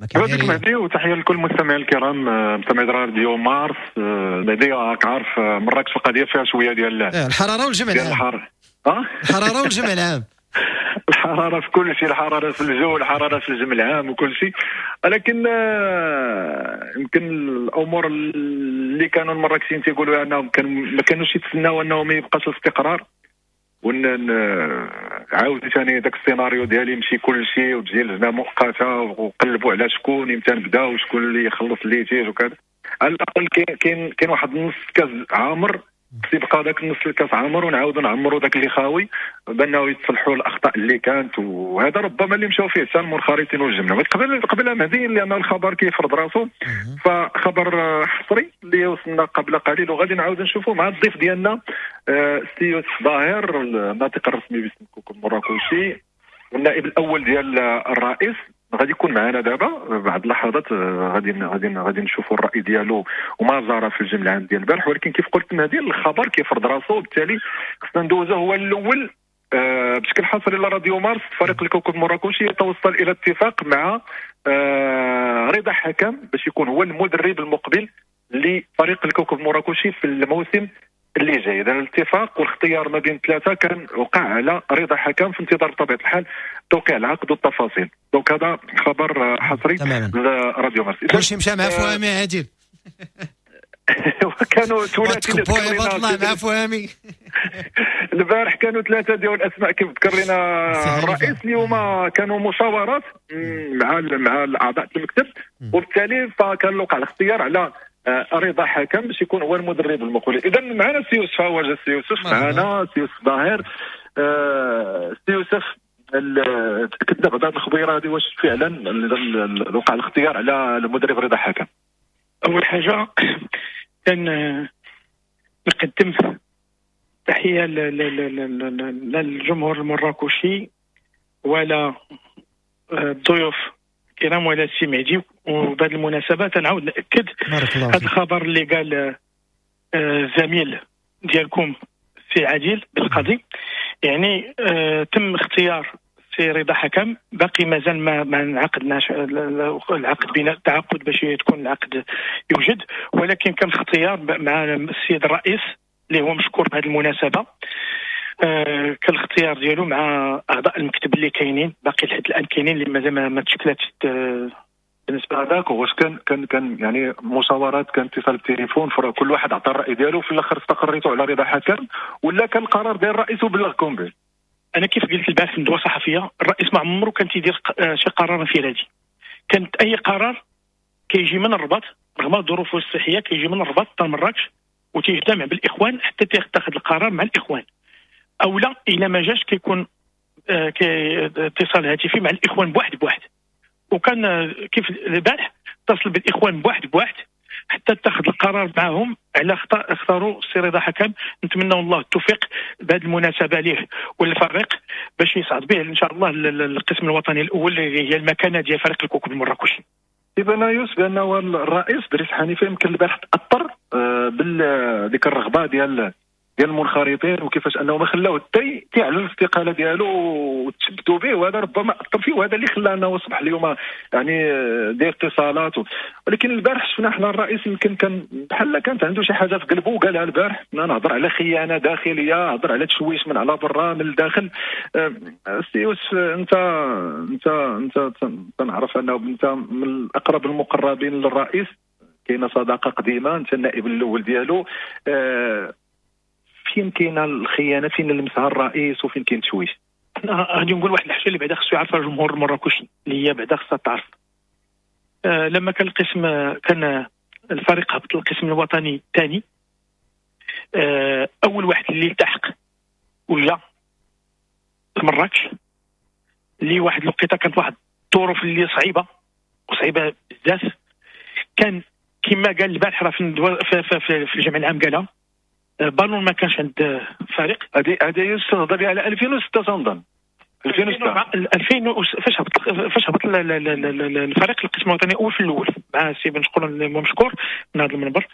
مرحبا بك مهدي، وتحية لكل المستمعين الكرام مستمعي راديو مارس. مهدي راك عارف مراكش القضية فيها شوية ديال الحرارة والجمع العام. الحرارة والجمع العام. الحرارة في كل شيء، الحرارة في الجو، الحرارة في الجمع العام وكل شيء، ولكن يمكن الامور اللي كانوا المراكشيين تيقولوا انهم ما كانوش يتسناو انه ما يبقاش الاستقرار، ون عاود ثاني داك السيناريو ديالي يمشي كل شيء وتجي لجنة مؤقتة وقلبوا على شكون امتى نبدا وشكون اللي يخلص ال litige وكذا. على الاقل كاين واحد نص كاس عامر، تيبقى داك النص الكاس عامر ونعاودوا نعمروا داك اللي خاوي بانه يتصلحوا الاخطاء اللي كانت، وهذا ربما اللي مشاو فيه حتى المنخرطين والجملة. قبل مهدي لان الخبر كيفرض راسو، فخبر حصري اللي وصلنا قبل قليل وغادي نعاود نشوفوا مع الضيف ديالنا السي يوسف ظاهر، الناطق الرسمي باسم كوكب مراكشي والنائب الاول ديال الرئيس، غادي يكون معنا دابا بعد لحظات. غادي نشوفوا الراي ديالو وما جرى في الجمع العام ديال البارح. ولكن كيف قلت مهدي الخبر كيفرض راسو، وبالتالي خصنا ندوزو هو الاول بشكل حصري لراديو مارس. فريق الكوكب المراكشي يتوصل الى اتفاق مع رضا حكم باش يكون هو المدرب المقبل لفريق الكوكب المراكشي في الموسم اللي جاي. اذا الاتفاق والاختيار ما بين ثلاثة كان وقع على رضا حكم في انتظار بطبيعة الحال توقيع العقد والتفاصيل. donc هذا خبر حصري لراديو مارس. كلشي مشى مع فهمي عادل. كانوا ثلاثي مع فهمي البارح، كانوا ثلاثة ديال الاسماء كيف ذكر لنا الرئيس. اليوم كانوا مشاورات مع الاعضاء المكتب، وبالتالي فكان وقع الاختيار على رضا حكم باش يكون هو المدرب المقبل. اذا معنا سي يوسف، هو جا سي يوسف معنا، سي يوسف ظاهر. سي يوسف، تاكدنا بعد هذه الخبيرة هذه واش فعلا وقع الاختيار على المدرب رضا حكم؟ اول حاجة كان نقدم تحية للجمهور المراكشي ولا الضيوف الكرام ولا السي مهدي، وبهذه المناسبة تنعاود ناكد هذا الخبر اللي قال الزميل ديالكم السي عادل بالقاضي. يعني تم اختيار السي رضا حكم، باقي مازال ما انعقدناش العقد بين التعاقد باش تكون العقد يوجد، ولكن كان اختيار مع السيد الرئيس اللي هو مشكور بهذه المناسبة. كان الاختيار ديالو مع اعضاء المكتب اللي كاينين باقي لحد الان كاينين اللي مازال ما تشكلاتش بالنسبة هذاك. واش كان يعني مشاورات، كان اتصال بالتليفون، كل واحد عطى الراي ديالو، في الاخر استقريتوا على رضا حكم ولا كان القرار ديال الرئيس وبلغكم به؟ انا كيف قلت البارح في الندوة الصحفية، الرئيس ما عمره كان تيدير شي قرار انفرادي. كانت اي قرار كيجي من الرباط رغم ظروفه الصحية، كيجي من الرباط حتى لمراكش وتيجتمع بالاخوان حتى تاخذ القرار مع الاخوان، او لا الا ما جاش كيكون اتصال هاتفي مع الاخوان بواحد بواحد. وكان كيف البارح اتصل بالاخوان بواحد بواحد حتى اتخذ القرار معهم على اختاروا السي رضا حكم. نتمنى الله التوفيق بهذه المناسبة ليه والفريق باش يصعد به ان شاء الله للقسم الوطني الاول اللي هي المكانة ديال فريق الكوكب المراكشي. إذا يوسف بانه الرئيس دريس حنيفة يمكن البارح تاثر بديك الرغبة ديال المنخرطين وكيفاش انه ما خلاوه حتى تيعلن الاستقالة ديالو وتشبتوا به، وهذا ربما اثر فيه، وهذا اللي خلى انه اصبح اليوم يعني داير اتصالات. ولكن البارح شفنا حنا الرئيس يمكن كان بحال كانت عنده شي حاجة في قلبه وقالها البارح، نهضر على خيانة داخلية، هضر على تشويش من على برا من الداخل. سي يوسف، انت انت انت تنعرف انه انت من اقرب المقربين للرئيس، كاينه صداقه قديمة، انت النائب الاول ديالو. فين كاينه الخيانة، فين لمسها الرئيس، وفين كاين تشويش؟ انا غادي نقول واحد الحاجة اللي بعدا خصو يعرفها الجمهور المراكشي، اللي هي بعدا خصها تعرف. لما كان القسم، كان الفريق هبط القسم الوطني الثاني، اول واحد اللي التحق وجا لمراكش، اللي واحد الوقيته كانت واحد الظروف اللي صعيبة وصعيبه بزاف. كان كما قال البارح راه في الجمع العام قالها، بالون ما كانش عند فريق. هذه يوسف تهضر على 2006 تنظن 2006 2000 فاش هبط الفريق القسم الوطني الاول في الاول مع السي بن شكور مشكور من هذا المنبر.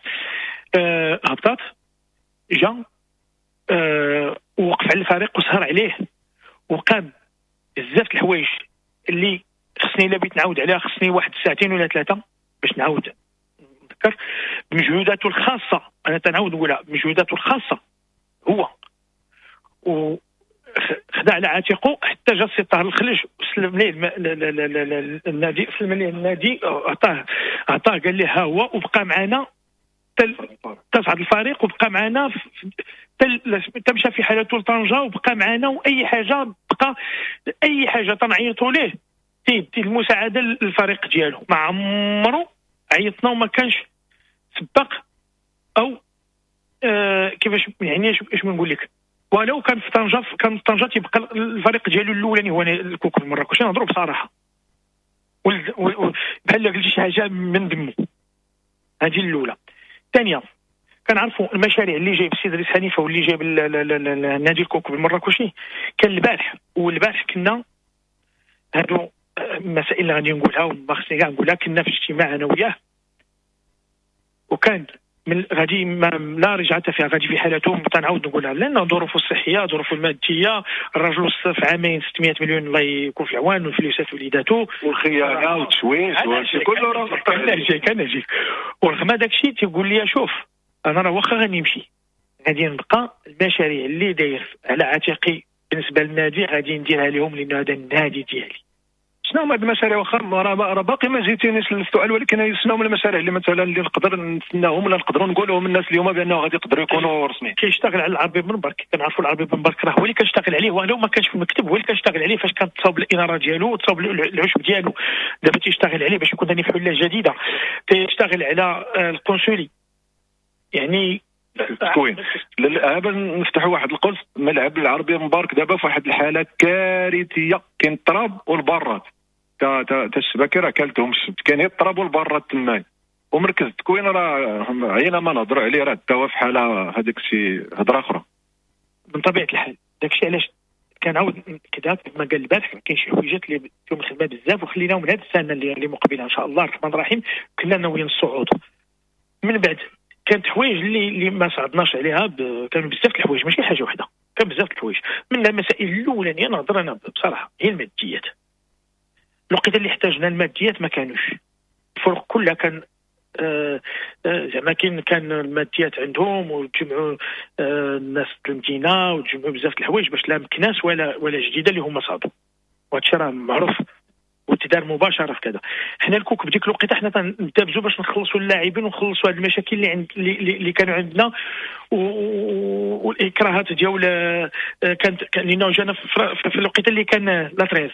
هبطات جا ووقف على الفريق وسهر عليه وقام بزاف الحوايج اللي خصني الا بغيت نعاود عليها خصني واحد ساعتين ولا ثلاثة باش نعاود نذكر بمجهوداته الخاصة. انا تنعاود نقولها بمجهوداته الخاصة هو، خدا على عاتقه حتى جا السي طاهر الخلج وسلم ليه النادي، سلم ليه النادي، عطاه قال ليه ها هو، وبقى معنا تصعد الفريق، وبقى معنا تمشى في حالته لطنجه وبقى معنا، واي حاجة بقى اي حاجة تنعيطوا ليه تيدي المساعدة للفريق ديالو. ما عمرو عيطنا وما كانش سبق او كيفاش يعني اش نقول لك، ولو كان في طنجه، كان في طنجه تيبقى الفريق ديالو الاولاني هو الكوكب المراكشي. نهضروا بصراحة، بحال قلتي شي حاجة من دمو. هذه الاولى. الثانية، كنعرفوا المشاريع اللي جايب السيد دريس حنيفة واللي جايب النادي الكوكب المراكشي. كان البارح، والبارح كنا هادو المسائل اللي غادي نقولها وما خصني كاع نقولها، كنا في اجتماع انا وياه، وكان من غادي لا رجعه فيها، غادي في حالته تنعاود نقولها، لان ظروفه الصحية، ظروفه المادية، الرجل في عامين 600 مليون الله يكون في العوان، والفلوسات وليداتو والخيانة والتشويش وهادشي كله راه كنجيك. ورغم داك الشيء تيقول لي شوف انا راه واخا غنمشي غادي نبقى المشاريع اللي داير على عاتقي بالنسبة للنادي غادي نديرها لهم، لان هذا النادي ديالي. شنو هما هاد المشاريع؟ واخا راه باقي ما جيتينيش للسؤال، ولكن شنو هما المشاريع اللي مثلا اللي نقدر نتسناهم ولا نقدروا نقولوهم الناس اليوم بانه غادي يقدروا يكونوا رسميين؟ كيشتغل على العربي بن برك، كنعرفوا العربي بن برك راه هو اللي كنشتغل عليه، ولو ما كانش في المكتب هو اللي كنشتغل عليه فاش كانت تصاوب الاناره ديالو وتصاوب العشب ديالو. دابا تيشتغل عليه باش يكون ثاني في حله جديدة، تيشتغل على القنصلي يعني التكوين. هذا نفتحوا واحد القوس، ملعب العربي مبارك دابا في واحد الحالة كارثية، كاين التراب والبارات تا الشباكي راه كالتهم الشبك، كاين غير التراب والبارات تماك، ومركز التكوين راه عينا ما نهضروا عليه، راه تا هو في حاله هذاك الشيء هضره اخرى. من طبيعة الحال داكشي علاش كنعاود كذا كما قال البارح، كاين شي حويجات اللي فيهم الخدمة بزاف وخليناهم لهاد السنة اللي مقبله ان شاء الله الرحمن الرحيم، كنا ناويين الصعود. من بعد كانت حوايج اللي ما صعدناش عليها، كانوا بزاف الحوايج ماشي حاجة وحده، كان بزاف الحوايج. من المسائل الاولانية نهضر انا بصراحة هي الماديات. الوقيته اللي احتاجنا الماديات ما كانوش، الفرق كلها كان زعما كان الماديات عندهم، وتجمعوا الناس المدينة وتجمعوا بزاف الحوايج باش لا مكناس ولا جديدة اللي هما صعدوا، وهادشي راه معروف وتدار مباشرة في كذا. حنا الكوكب ديك الوقيته حنا تنتبزوا باش نخلصوا اللاعبين ونخلصوا هاد المشاكل اللي عند اللي كانوا عندنا والاكراهات ديال كانت، لانه جانا في الوقيته اللي كان la trêve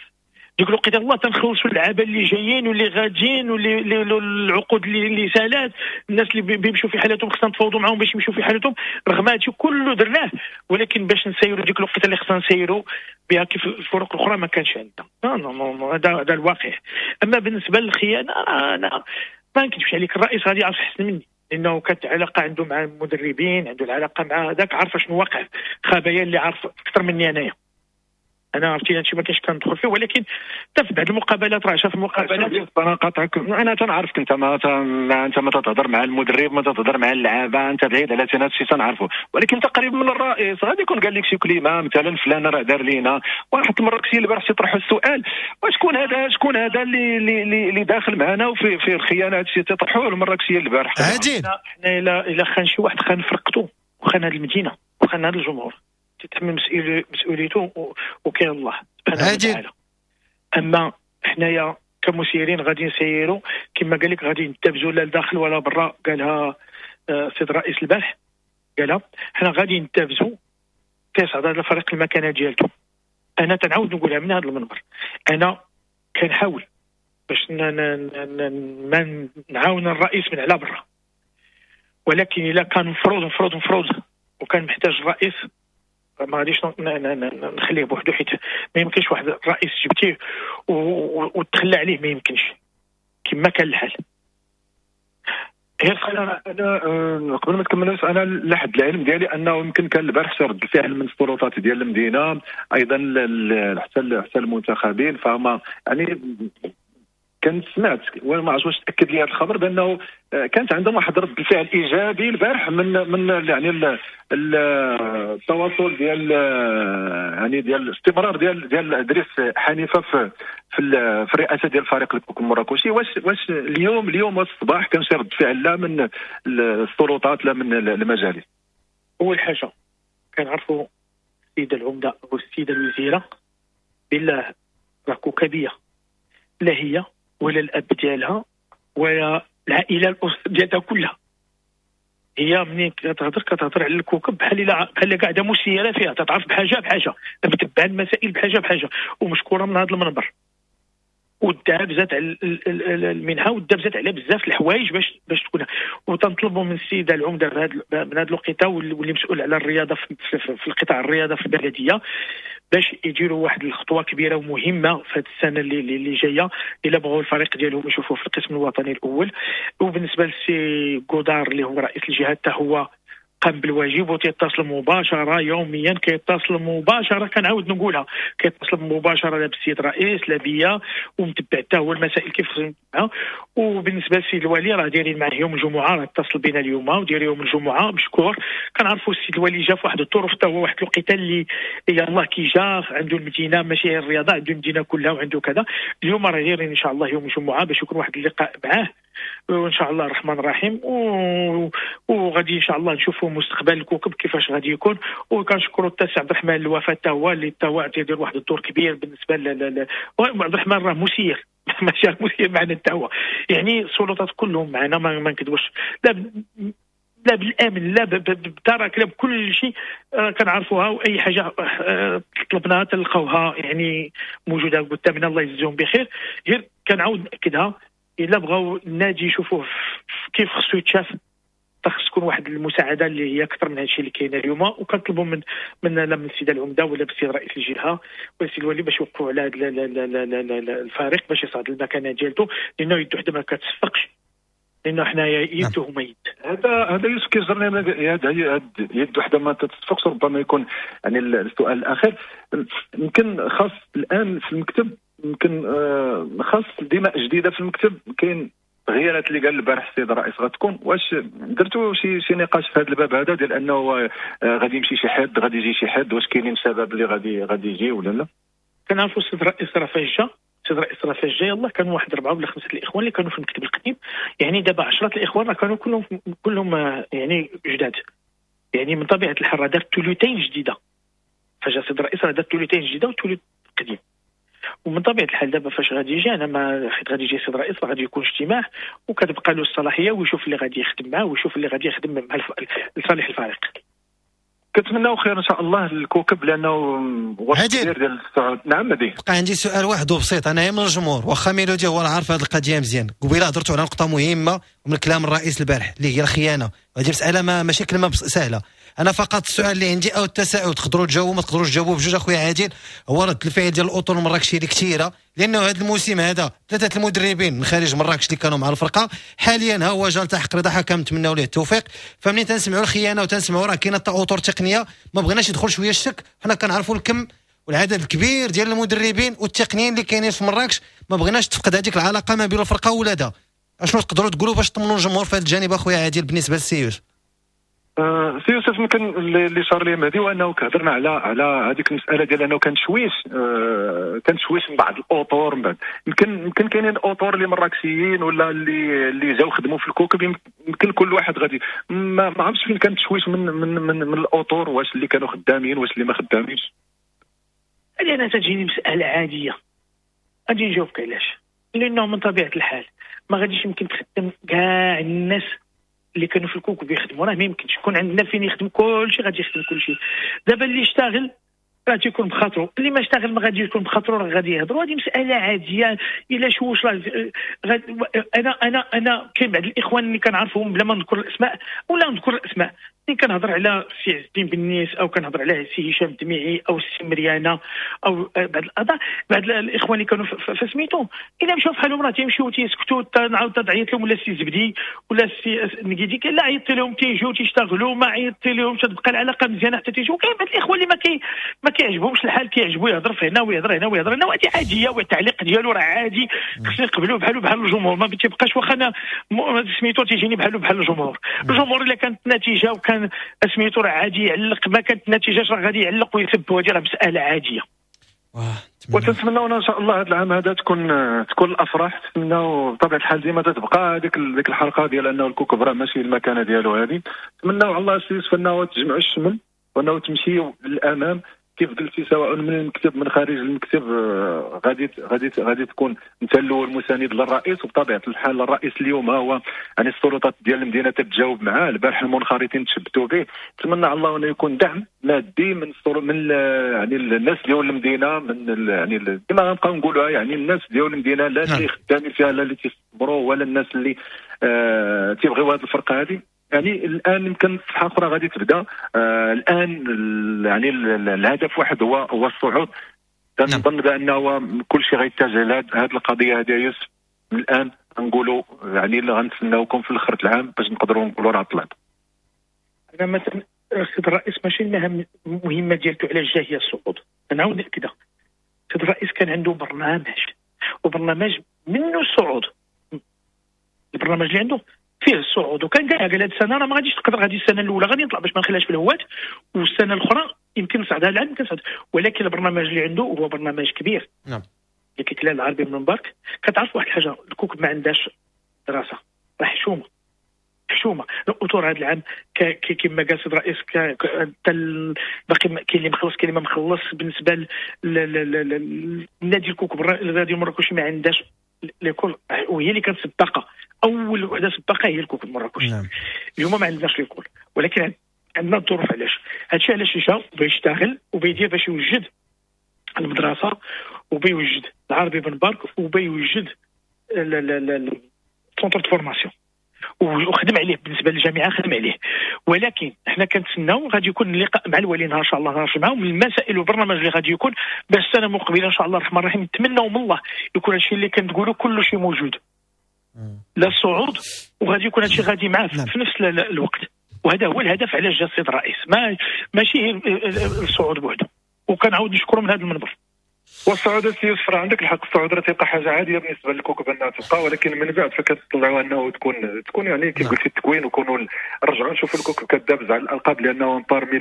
ديك الوقيته الله تنخلصوا اللعابه اللي جايين واللي غاديين واللي العقود اللي سالات، الناس اللي بيمشوا في حالتهم خصنا نتفاوضوا معاهم باش يمشوا في حالتهم. رغم هادشي كله درناه، ولكن باش نسيروا ديك الوقيته اللي خصنا نسيروا بها كيف الفرق الاخرى ما كانش عندنا. هذا الواقع. اما بالنسبة للخيانه انا ما نكذبش عليك، الرئيس غادي يعرف احسن مني، لانه كانت علاقة عنده مع المدربين، عنده العلاقة مع هذاك، عارف شنو واقع، خبايا اللي عارف اكثر مني انايا. انا عرفتي هادشي ما كاينش كندخل فيه، ولكن حتى في بعض المقابلات راه شاف المقابلات. انا قاطعك، انا تنعرفك انت ما انت ما تتهضر مع المدرب، ما تتهضر مع اللعابه، انت بعيد على هذا الشيء تنعرفه، ولكن انت قريب من الرئيس، غادي يكون قال لك شي كلمة مثلا فلان راه دار لينا. واحد المراكشي البارح تيطرحوا السؤال، وشكون هذا، شكون هذا اللي اللي داخل معنا وفي في الخيانة؟ هذا الشيء تيطرحوه المراكشيه البارح. حنا الا خان شي واحد خان فرقته وخان هذه المدينة وخان هذا الجمهور، تتحمل مسؤوليته وكاين الله سبحانه وتعالى. اما حنايا كمسيرين غادي نسيروا كما قال لك، غادي نتبزوا لا لداخل ولا برا، قالها السيد الرئيس البارح، قالها حنا غادي نتبزوا كيصعد هذا الفريق المكانة ديالته. انا تنعاود نقولها من هذا المنبر، انا كنحاول باش ما نعاون الرئيس من على برا، ولكن الا كان مفروض مفروض مفروض وكان محتاج الرئيس ما غاديش نخليه بوحدو، حيت ما يمكنش واحد الرئيس جبتيه وتخلى عليه، ما يمكنش كما كان الحال. غير انا قبل ما تكمل، انا لحد العلم ديالي انه يمكن كان البارح شي رد الفعل من السلطات ديال المدينة، ايضا حتى المنتخبين، فهما يعني كنت سمعت وما عرفتش واش تاكد لي هذا الخبر بانه كانت عندهم واحد رد الفعل ايجابي البارح من يعني التواصل ديال يعني ديال الاستمرار ديال ادريس حنيفة في في الرئاسة ديال الفريق المراكشي. واش اليوم الصباح كان شي رد فعل لا من السلطات لا من المجالس؟ اول حاجة كنعرفوا السيدة العمدة والسيدة الوزيرة بالله راه كوكبيه، لا هي ولا الاب ديالها ولا العائلة ديالها كلها. هي منين كتهضر على الكوكب بحال قاعدة مسيره فيها، تتعرف بحاجة بحاجة، متبعة المسائل بحاجة بحاجة، ومشكوره من هذا المنبر. ودابزات على المنحة ودابزات على بزاف الحوايج باش تكون. وتنطلبوا من السيدة العمدة من هذا الوقيته واللي مسؤول على الرياضة في القطاع الرياضة في البلدية باش يديروا واحد الخطوة كبيرة ومهمة في هذه السنة اللي جاية، الا بغوا الفريق ديالهم يشوفوه في القسم الوطني الاول. وبالنسبة للسي قدار اللي هو رئيس الجهة حتى هو قام بالواجب وتيتصل مباشرة يوميا، كيتصل مباشرة، كنعاود نقولها، كيتصل مباشرة لا بالسيد الرئيس لا بيا، ومتبع حتى هو المسائل كيف خصهم. وبالنسبة للسيد الوالي راه دايرين معاه يوم الجمعة، راه اتصل بنا اليوم وداير يوم الجمعة مشكور. كنعرفوا السيد الوالي جا في واحد الظروف حتى هو واحد الوقيته اللي يلاه كي جا عنده المدينة، ماشي الرياضة، عنده المدينة كلها وعنده كذا. اليوم راه دايرين ان شاء الله يوم الجمعة باش يكون واحد اللقاء معاه وان شاء الله الرحمن الرحيم، وغادي ان شاء الله نشوفوا مستقبل الكوكب كيفاش غادي يكون. وكنشكروا حتى السي عبد الرحمن الوفاة حتى هو اللي حتى هو تيدير واحد الدور كبير بالنسبة عبد الرحمن راه مسير ماشي مسير معنا حتى هو، يعني السلطات كلهم معنا، ما نكذبوش، لا بالامن لا بالدرك لا بكل شيء كنعرفوها، واي حاجة طلبناها تلقاوها يعني موجودة قدامنا. الله يجزيهم بخير. غير كنعاود ناكدها، الا بغاو النادي يشوفوه كيف خصو يتشاف، خص تكون واحد المساعدة اللي هي اكثر من هادشي اللي كاين اليوم. وكنطلبوا من لا من السيدة العمدة ولا بالسيد رئيس الجهة ولا السيد الوالي باش يوقفوا على هذا الفريق باش يصعد المكانة ديالته، لانه يد وحده ما كتصفقش، لانه حنايا يد وهما يد. هذا يوسف كيجرني يد وحده ما تتصفقش. ربما يكون يعني السؤال الاخير يمكن خاص الان في المكتب، يمكن خاص دماء جديدة في المكتب. كاين تغييرات اللي قال البارح السيد الرئيس غتكون، واش درتوا شي نقاش في هذا الباب هذا ديال انه غادي يمشي شي حد غادي يجي شي حد، واش كاينين شباب اللي غادي يجي ولا لا؟ كنعرفوا السيد الرئيس راه فاش جا، السيد الرئيس راه فاش جا يلاه كانوا واحد 4 ولا 5 الاخوان اللي كانوا في المكتب القديم، يعني دابا 10 الاخوان راه كانوا كلهم يعني جداد، يعني من طبيعة الحال راه دار ثلثين جديدة. فجا السيد الرئيس راه دار ثلثين جديدة وثلث قديم. ومن طبيعة الحال دابا فاش غادي يجي، انا ما حيت غادي يجي السيد الرئيس راه غادي يكون اجتماع وكتبقى له الصلاحية ويشوف اللي غادي يخدم معاه ويشوف اللي غادي يخدم مع لصالح الفريق. كنتمناو خير ان شاء الله للكوكب لانه وقت كبير ديال الصعود. نعم مهدي، بقى عندي سؤال واحد وبسيط، انا من الجمهور واخا ميلودي هو عارف هذه القضية مزيان، قبيلة هضرتوا على نقطة مهمة من كلام الرئيس البارح اللي هي الخيانة، هذه مسالة ماشي كلمة سهلة. انا فقط السؤال اللي عندي او التساؤل، تقدروا تجاوبوا ما تقدروش تجاوبوا بجوج اخويا عادل، هو رد الفعل ديال الاطر المراكشيه اللي كثيرة، لانه هذا الموسم هذا 3 المدربين من خارج مراكش اللي كانوا مع الفرقة، حاليا ها هو جا التحق رضا حكم، نتمناو ليه التوفيق. فمنين تنسمعوا الخيانة وتنسمعوا راه كاينه اطر تقنية، ما بغيناش يدخل شوية الشك، حنا كنعرفوا الكم والعدد الكبير ديال المدربين والتقنيين اللي كاينين في مراكش، ما بغيناش تفقد هذيك العلاقة ما بين الفرقة وولادها. اشنو تقدروا تقولوا باش تطمنوا الجمهور في هذا الجانب اخويا عادل بالنسبة للسي يوسف؟ سي يوسف يمكن اللي صار لي مهدي وانه كهضرنا على هذيك المسالة ديال انه كان تشويش، كان تشويش من بعض الاطور، من بعد يمكن كاينين اطور اللي مراكشيين ولا اللي جاو خدموا في الكوكب، يمكن كل واحد غادي ما عرفتش فين كان تشويش من من من, من الاطور، واش اللي كانوا خدامين واش اللي ما خدامينش. هذه انا تجيني مسالة عادية، غادي نجاوبك علاش، لانه من طبيعة الحال ما غاديش يمكن تخدم كاع الناس اللي كانوا في الكوكب يخدموا، راه ما يمكنش يكون عندنا فين يخدم كلشي، غادي يخدم كلشي. دابا اللي اشتغل راه تيكون بخاطرو، اللي ما اشتغل ما غادي يكون بخاطرو، راه غادي يهضروا. هذه مسالة عادية. الا شوش راه انا انا كاين بعض الاخوان اللي كنعرفهم بلا ما نذكر الاسماء ولا نذكر الاسماء، اللي كنهضر على سي عز الدين بنيس او كنهضر على سي هشام الدميعي او سي مريانه او بعض الاعضاء، بعض الاخوان اللي كانوا في سميتو، الا مشاو فحالهم راه تيمشيو تيسكتوا، نعاود تعيط لهم ولا سي زبدي ولا سي نكيدي، لا عيطت لهم تيجيو تيشتغلوا، ما عيطت لهم تبقى العلاقة مزيانه حتى تيجيو. كاين بعض الاخوان اللي ما كيعجبهمش الحال، كيعجبو يهضر في هنا ويهضر هنا ويهضر هنا، وهذه عادية، والتعليق ديالو راه عادي، خصنا نقبلوه بحالو بحال الجمهور، ما تيبقاش واخا انا سميتو تيجيني بحالو بحال الجمهور. الجمهور الا كانت النتيجة وكان سميتو راه عادي يعلق، ما كانت النتيجة راه غادي يعلق ويسب، وهذه راه مسالة عادية. وتنتمناو ان شاء الله هذا العام هذا تكون الافراح، نتمناو بطبيعة الحال ديما تتبقى هذيك الحلقة ديال انه الكوكب راه ماشي المكانة ديالو هذه. نتمناو على الله سي يوسف انه تجمعوا الشمل وانه تمشيو للامام. كيف قلتي سواء من المكتب من خارج المكتب، غادي غادي غادي تكون انت الاول مساند للرئيس. وبطبيعة الحال الرئيس اليوم هو يعني السلطات ديال المدينة تتجاوب معاه، البارح المنخرطين تشبتوا به، نتمنى على الله انه يكون دعم مادي من من يعني الناس ديال المدينة، من يعني كما غنبقاو نقولوها يعني الناس ديال المدينة، لا اللي خدامين فيها لا اللي تيصبروا ولا الناس اللي تيبغيو هذه الفرقة هذه. يعني الان يمكن صفحة اخرى غادي تبدا. الان يعني الهدف واحد هو الصعود. كنظن بانه كل شيء غيتجه لهذه القضية هذه يوسف. الان نقولوا يعني اللي غنتسناوكم في الاخر العام باش نقدروا نقولوا راه طلعت. انا مثلا السيد الرئيس ماشي المهام المهمة ديالته على الجاه هي الصعود، نعاود ناكدها. السيد الرئيس كان عنده برنامج، وبرنامج منه الصعود. البرنامج اللي عنده فيه الصعود، وكان قال هذه السنة راه ما غاديش تقدر، غادي السنة الاولى غادي نطلع باش ما نخليهاش في الهوات، والسنة الاخرى يمكن نصعد، هذا العام يمكن نصعد. ولكن البرنامج اللي عنده هو برنامج كبير. نعم. اللي كيتلا العربي بن مبارك. كتعرف واحد الحاجة، الكوكب ما عندهاش دراسة، راه حشومه حشومه. الاطور هذا العام كما قال السيد الرئيس باقي كاين اللي مخلص كاين اللي ما مخلص. بالنسبة للنادي الكوكب الرياضي المراكشي ما عندهاش l'école، وهي اللي كانت سباقه، اول وحده سباقه هي الكوكب المراكشي. نعم. اليوم ما عندناش l'école، ولكن عندنا الظروف. علاش هادشي؟ علاش جا بيشتغل وبيدير باش يوجد المدرسة، وبيوجد العربي بن بارك، وبيوجد ال centre de formation، وخدم عليه. بالنسبة للجامعة خدم عليه. ولكن حنا كنتسناو غادي يكون اللقاء مع الولي نهار ان شاء الله، نهار الجمعة، ومن المسائل والبرنامج اللي غادي يكون باش السنة المقبلة ان شاء الله الرحمن الرحيم. نتمناو من الله يكون هادشي اللي كنقولوا كل شيء موجود، لا الصعود، وغادي يكون هادشي غادي معاه في نفس الوقت. وهذا هو الهدف علاش جا السيد الرئيس، ماشي الصعود بوحده. وكنعاود نشكره من هذا المنبر. والصعود السي يوسف راه عندك الحق، الصعود راه تيبقى حاجة عادية بالنسبة للكوكب انها تبقى، ولكن من بعد فكتطلعوا انه تكون يعني كيف قلتي التكوين، وكونوا نرجعوا نشوفوا الكوكب كدابز على الالقاب، لانه parmi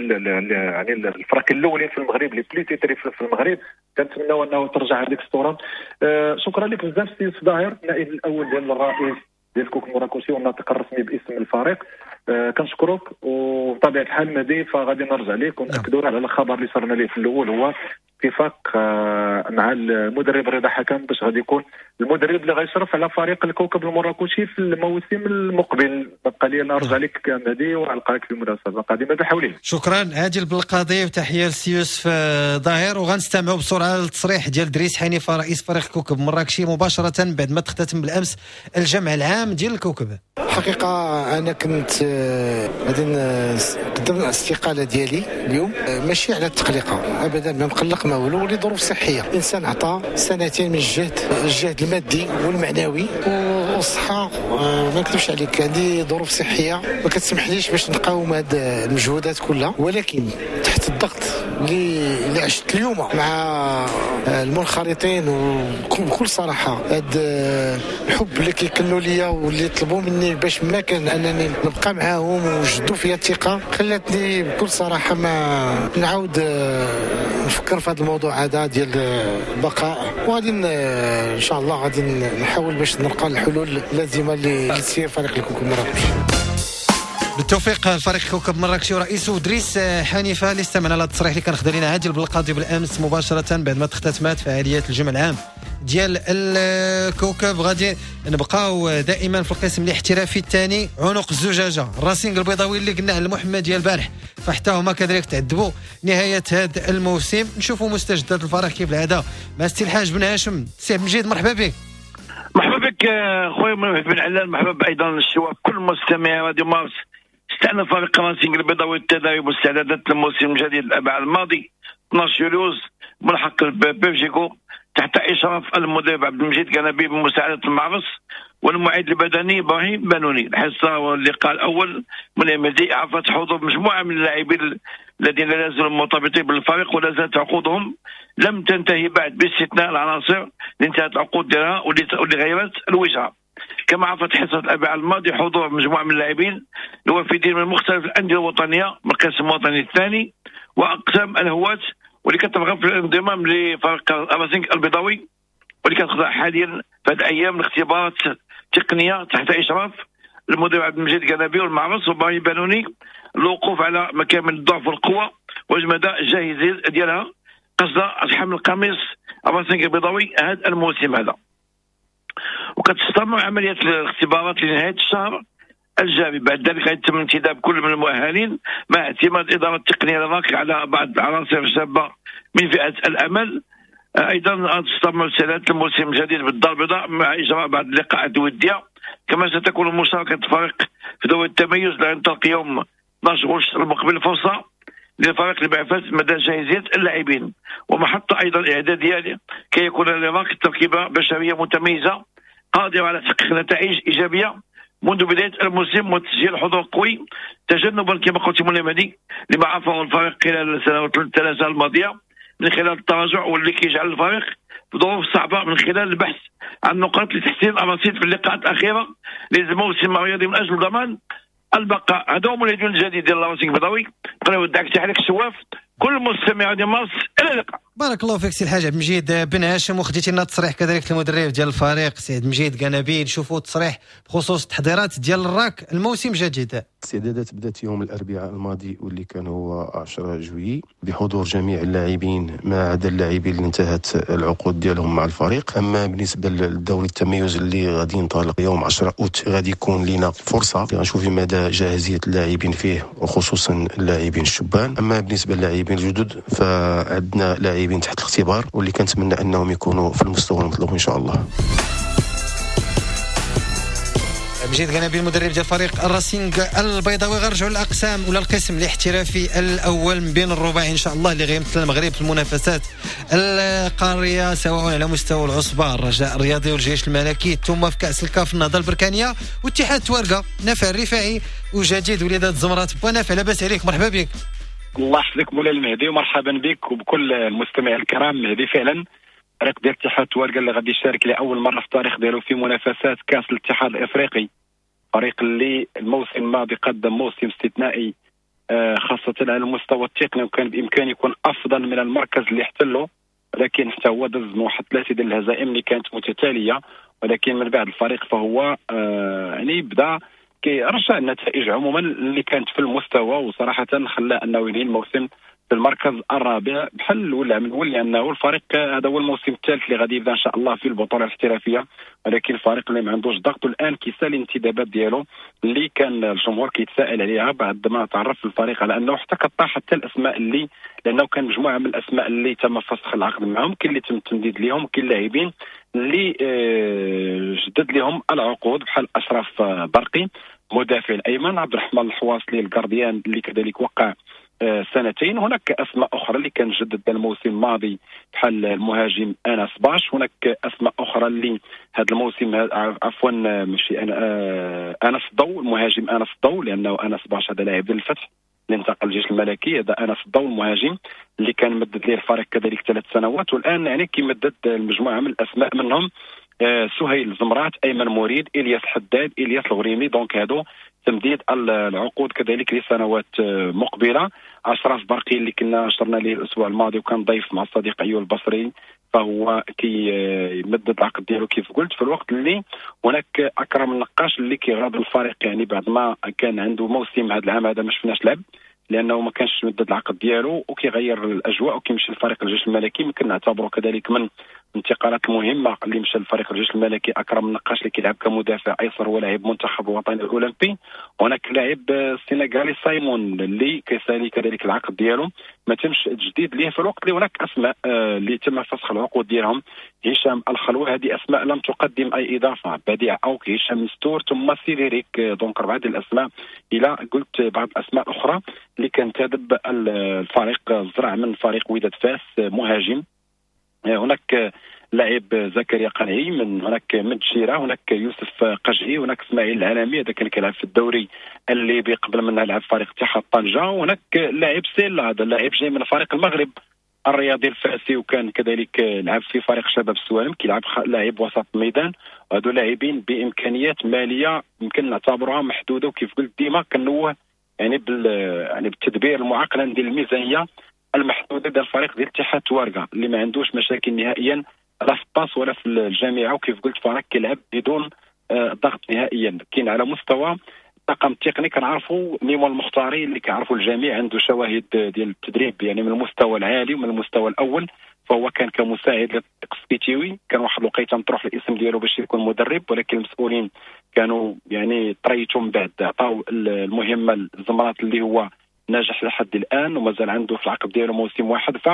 يعني الفرق الاولين في المغرب les plus titrés في المغرب. كنتمناو انه ترجع هذيك الصورة. شكرا لك بزاف سي يوسف ظاهر، النائب الاول ديال الرئيس ديال الكوكب المراكشي والناطق الرسمي باسم الفريق. كنشكرك، وبطبيعة الحال مهدي فغادي نرجع لك ونأكدوا على الخبر اللي صرنا ليه في الاول، هو اتفاق مع المدرب رضا حكم باش غادي يكون المدرب اللي غيشرف على فريق الكوكب المراكشي في الموسم المقبل. بقى لي نرجع لك مهدي ونلقاك في مناسبة قادمة بحولين. شكرا عادل بالقاضي، وتحية لسي يوسف ظاهر. وغنستمعوا بسرعة للتصريح ديال دريس حنيفة رئيس فريق كوكب مراكشي مباشرة بعد ما تختتم بالامس الجمع العام ديال الكوكب. الحقيقة انا كنت غادي نقدم الاستقالة ديالي اليوم، ماشي على التقليقه ابدا، ما مقلق ما والو، لظروف صحية. الانسان عطى سنتين من الجهد المادي والمعنوي والصحة. ما نكذبش عليك، عندي ظروف صحية ما كتسمحليش باش نقاوم هاد المجهودات كلها، ولكن تحت الضغط اللي عشت اليوم مع المنخرطين، وبكل صراحة هاد الحب اللي كيكنوا ليا واللي طلبوا مني باش ما كان انني نبقى معاهم وجدوا فيا الثقة، خلاتني بكل صراحة ما نعاود نفكر في هذا الموضوع هذا ديال البقاء. وغادي ان شاء الله غادي نحاول باش نلقى الحلول اللازمة لتسيير فريق الكوكب المراكشي. بالتوفيق الفريق كوكب مراكشي ورئيسه دريس حنيفة اللي استمعنا على التصريح اللي كان خدا لنا عادل بالقاضي بالامس مباشرة بعد ما اختتمت فعاليات الجمع العام ديال الكوكب. غادي نبقاو دائما في القسم الاحترافي الثاني، عنق الزجاجة الراسينغ البيضاوي اللي قلنا على المحمدية البارح، فحتى هما كذلك تعذبوا نهاية هذا الموسم. نشوفوا مستجدات الفريق كيف العادة مع السي الحاج بن هاشم. سي عبد المجيد مرحبا بك. مرحبا بك خويا بن علال، مرحبا ايضا الشباب كل مستمعي راديو مارس. استأنف فريق راسينغ البيضاوي التدريب واستعدادات الموسم الجديد الأربعاء الماضي 12 يوليوز ملحق بيرجيكو تحت إشراف المدرب عبد المجيد كنبي بمساعدة المعرس والمعيد البدني إبراهيم بانوني. الحصة واللقاء الأول من المدي عرفت حضور مجموعة من اللاعبين الذين لا زالوا مرتبطين بالفريق ولا زالت عقودهم لم تنتهي بعد، باستثناء العناصر اللي انتهت العقود ديالها واللي غيرت الوجهة. كما عرفت حصة الأربعاء الماضي حضور مجموعة من اللاعبين الوافدين من مختلف الأندية الوطنية من القسم الوطني الثاني وأقسام الهواة واللي كترغب في الانضمام لفريق الراسينغ البيضاوي واللي كتخضع حاليا في هذه الأيام لاختبارات تقنية تحت إشراف المدرب عبد المجيد كنبي والمعرس وإبراهيم بانوني، الوقوف على مكامن الضعف والقوة ومدى الجاهزيه ديالها قصد حمل القميص الراسينغ البيضاوي هذا الموسم هذا. وكتستمر عملية الاختبارات لنهاية الشهر الجاري، بعد ذلك يتم انتداب كل من المؤهلين مع اعتماد الادارة التقنية للراك على بعض العناصر الشابة من فئة الامل. ايضا تستمر سنة الموسم الجديد بالدار البيضاء مع اجراء بعض اللقاءات الودية، كما ستكون مشاركة الفريق في دوري التميز اللي ينطلق يوم 12 غشت المقبل فرصة للفريق لمعرفة مدى جاهزية اللاعبين، ومحطه ايضا اعدادية كي يكون للراك تركيبه بشرية متميزة قادرة على تحقيق نتائج ايجابية منذ بداية الموسم وتسجيل حضور قوي، تجنبا كما قلت مولاي مهدي لما عرفه الفريق خلال السنوات الثلاثة الماضية من خلال التراجع، واللي كيجعل الفريق في ظروف صعبة من خلال البحث عن نقاط لتحسين الرصيد في اللقاءات الاخيرة للموسم الرياضي من اجل ضمان البقاء. هذا هو الهجوم الجديد ديال الراسينغ البيضاوي. نودعك تحية لك الشواف كل مستمع ديال مارس، الى اللقاء. بارك الله فيك سي الحاج عبد المجيد بن هاشم، وخديتي لنا التصريح كذلك المدرب ديال الفريق سي عبد المجيد قنابيل. نشوفوا التصريح بخصوص التحضيرات ديال الراك الموسم الجديد. الاستعدادات بدات يوم الاربعاء الماضي واللي كان هو 10 جويي بحضور جميع اللاعبين ما عدا اللاعبين اللي انتهت العقود ديالهم مع الفريق. اما بالنسبة للدوري التميز اللي غادي ينطلق يوم 10 اوت غادي يكون لنا فرصة غنشوف مدى جاهزية اللاعبين فيه وخصوصا اللاعبين الشبان. اما بالنسبة للاعبين الجدد فعندنا لاعبين تحت الاختبار واللي كنتمنى انهم يكونوا في المستوى المطلوب ان شاء الله. مجيد قنابي المدرب ديال فريق الراسينغ البيضاوي. غنرجعوا للاقسام ولا القسم الاحترافي الاول من بين الرباعي ان شاء الله اللي غيمثل المغرب في المنافسات القارية سواء على مستوى العصبة الرجاء الرياضي والجيش الملكي، ثم في كاس الكاف النهضة البركانيه واتحاد توارقه نافع الرفاعي وجديد وليدات زمرات. بونافع لاباس عليك، مرحبا بك. الله يحفظك مولاي المهدي ومرحبا بك وبكل المستمعين الكرام. مهدي فعلا فريق ديال اتحاد توارقه اللي غادي يشارك لاول مرة في التاريخ ديالو في منافسات كاس الاتحاد الافريقي، فريق اللي الموسم الماضي قدم موسم استثنائي خاصة على المستوى التقني وكان بإمكانه يكون أفضل من المركز اللي احتله، ولكن حتى هو دز من واحد 3 ديال الهزائم اللي كانت متتالية، ولكن من بعد الفريق فهو يعني بدا كيرجع النتائج عموما اللي كانت في المستوى، وصراحة خلى أنه ينهي الموسم في المركز الرابع بحال ولا من الاول، لانه الفريق هذا هو الموسم الثالث اللي غادي يبدا ان شاء الله في البطولة الاحترافية، ولكن الفريق اللي ما عندوش ضغط الان كيسالي الانتدابات ديالو اللي كان الجمهور كيتساءل عليها بعد ما تعرف الفريق على انه حتى كطاح حتى الاسماء اللي، لانه كان مجموعة من الاسماء اللي تم فسخ العقد معهم، كاين اللي تم التمديد لهم، كاين لاعبين اللي جدد لهم العقود بحال اشرف برقي مدافع الايمن، عبد الرحمن الحواصلي ال gardien اللي كذلك وقع سنتين. هناك اسماء اخرى اللي كان جدد الموسم الماضي بحال المهاجم انس باش، هناك اسماء اخرى اللي هذا الموسم عفوا ماشي انس الضو، المهاجم انس الضو، لانه انس باش هذا لاعب ديال الفتح اللي انتقل للجيش الملكي، هذا انس الضو المهاجم اللي كان مدد ليه الفريق كذلك 3 سنوات، والان يعني كيمدد المجموعة من الاسماء منهم سهيل زمرات، ايمن مريد، الياس حداد، الياس الغريمي. donc هادو تمديد العقود كذلك لسنوات مقبله. اشرف برقي اللي كنا نشرنا ليه الاسبوع الماضي وكان ضيف مع الصديق ايوب البصري، فهو كيمدد العقد ديالو كيف قلت، في الوقت اللي هناك اكرم النقاش اللي كيغادر الفريق، يعني بعد ما كان عنده موسم هذا العام هذا ما شفناش لعب لانه ما كانش مدد العقد ديالو وكيغير الاجواء وكيمشي لفريق الجيش الملكي. يمكن نعتبره كذلك من الانتقالات المهمة اللي مشى لفريق الجيش الملكي اكرم النقاش اللي كيلعب كمدافع ايسر ولاعب منتخب الوطني الاولمبي. هناك لاعب السنغالي سايمون اللي كيسالي كذلك العقد ديالو ما تمش تجديد ليه، في الوقت اللي هناك اسماء اللي تم فسخ العقود ديالهم، هشام الخلوة، هذه اسماء لم تقدم اي اضافه، بديع اوك، هشام مستور، ثم سيريريك. donc 4 ديال الاسماء الى قلت بعض الاسماء الاخرى اللي كان تدب الفريق الزرع من فريق وداد فاس مهاجم، هناك لاعب زكريا قنعي من هناك من تشيرة، هناك يوسف قجعي، هناك اسماعيل العالمي هذا كان كيلعب في الدوري الليبي قبل منها لعب فريق اتحاد طنجة، وهناك لاعب سيلا هذا اللاعب جاي من فريق المغرب الرياضي الفاسي وكان كذلك لعب في فريق شباب السوالم، كيلعب لاعب وسط الميدان. وهذو لاعبين بامكانيات ماليه يمكن نعتبرها محدودة، وكيف قلت ديما كنوه يعني يعني بالتدبير المعقلن ديال الميزانية المحدودة ديال الفريق ديال اتحاد توارقه اللي ما عندوش مشاكل نهائيا لا في الطاس ولا في الجامعة، وكيف قلت فريق كيلعب بدون ضغط نهائيا. كاين على مستوى الطاقم التقني كنعرفوا ميمون المختاري اللي كيعرفوا الجميع، عنده شواهد ديال التدريب يعني من المستوى العالي ومن المستوى الاول، فهو كان كمساعد للطارق السكتيوي، كان واحد الوقيته مطروح الاسم ديالو باش يكون مدرب، ولكن المسؤولين كانوا يعني تريتوا من بعد عطاو المهمة للزمرات اللي هو ناجح لحد الان ومازال عنده في العقد ديالو موسم واحد. ف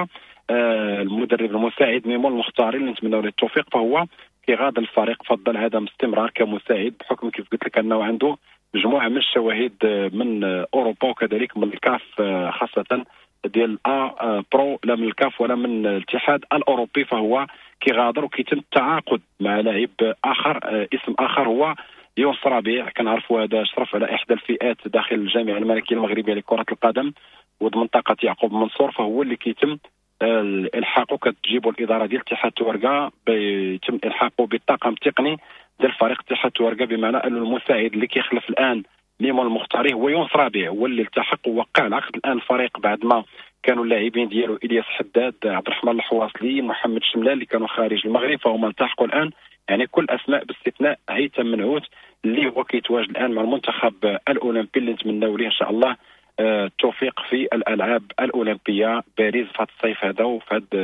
المدرب المساعد ميمون المختاري اللي نتمنى له التوفيق، فهو كيغادر الفريق، فضل عدم استمرار كمساعد بحكم كيف قلت لك انه عنده مجموعة من الشواهد من اوروبا وكذلك من الكاف، خاصة ديال A Pro، لا من الكاف ولا من الاتحاد الاوروبي. فهو كيغادر وكيتم التعاقد مع لاعب اخر، اسم اخر هو يونس ربيع، كنعرفوا هذا شرف على احدى الفئات داخل الجامعة الملكية المغربية لكرة القدم وضمن منطقة يعقوب منصور، فهو اللي كيتم الحاقه، كتجيبوا الادارة ديال اتحاد توركا، بيتم الحاقه بالطاقم التقني ديال فريق اتحاد توركا، بمعنى انه المساعد اللي كيخلف الان ميمون المختاري هو يونس ربيع، هو اللي التحق ووقع العقد الان الفريق بعد ما كانوا اللاعبين ديالو الياس حداد، عبد الرحمن الحواصلي، محمد شملال اللي كانوا خارج المغرب، فهما التحقوا الان، يعني كل اسماء باستثناء هيثم منعوت اللي هو كيتواجد الان مع المنتخب الاولمبي اللي نتمناو ليه ان شاء الله التوفيق في الالعاب الاولمبية باريس في هذا الصيف هذا وفي هذه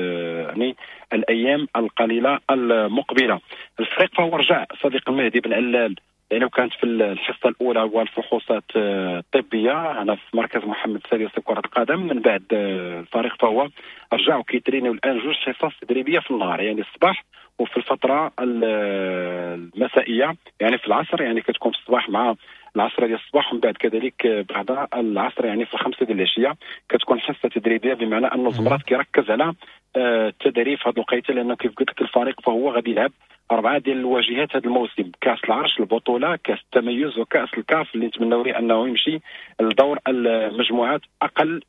يعني الايام القليلة المقبلة. الفريق فهو رجع صديق المهدي بن علال، لانه كانت في الحصة الاولى والفحوصات الطبية هنا في مركز محمد السادس لكرة القدم، من بعد الفريق فهو رجع وكيترينيو الان جوج حصص تدريبية في النهار، يعني الصباح وفي الفترة المسائيه، يعني في العصر، يعني كتكون في الصباح مع العصر ديال الصباح، ومن بعد كذلك بعد العصر يعني في 5 ديال العشية كتكون حصة تدريبية، بمعنى ان الزمرات كيركز على التدريب في هذه الوقيته، لانه كيف قلت لك الفريق فهو غادي يلعب 4 ديال الواجهات هذا الموسم، كاس العرش، البطولة، كاس التميز، وكاس الكاف اللي نتمناو ليه انه يمشي لدور المجموعات اقل.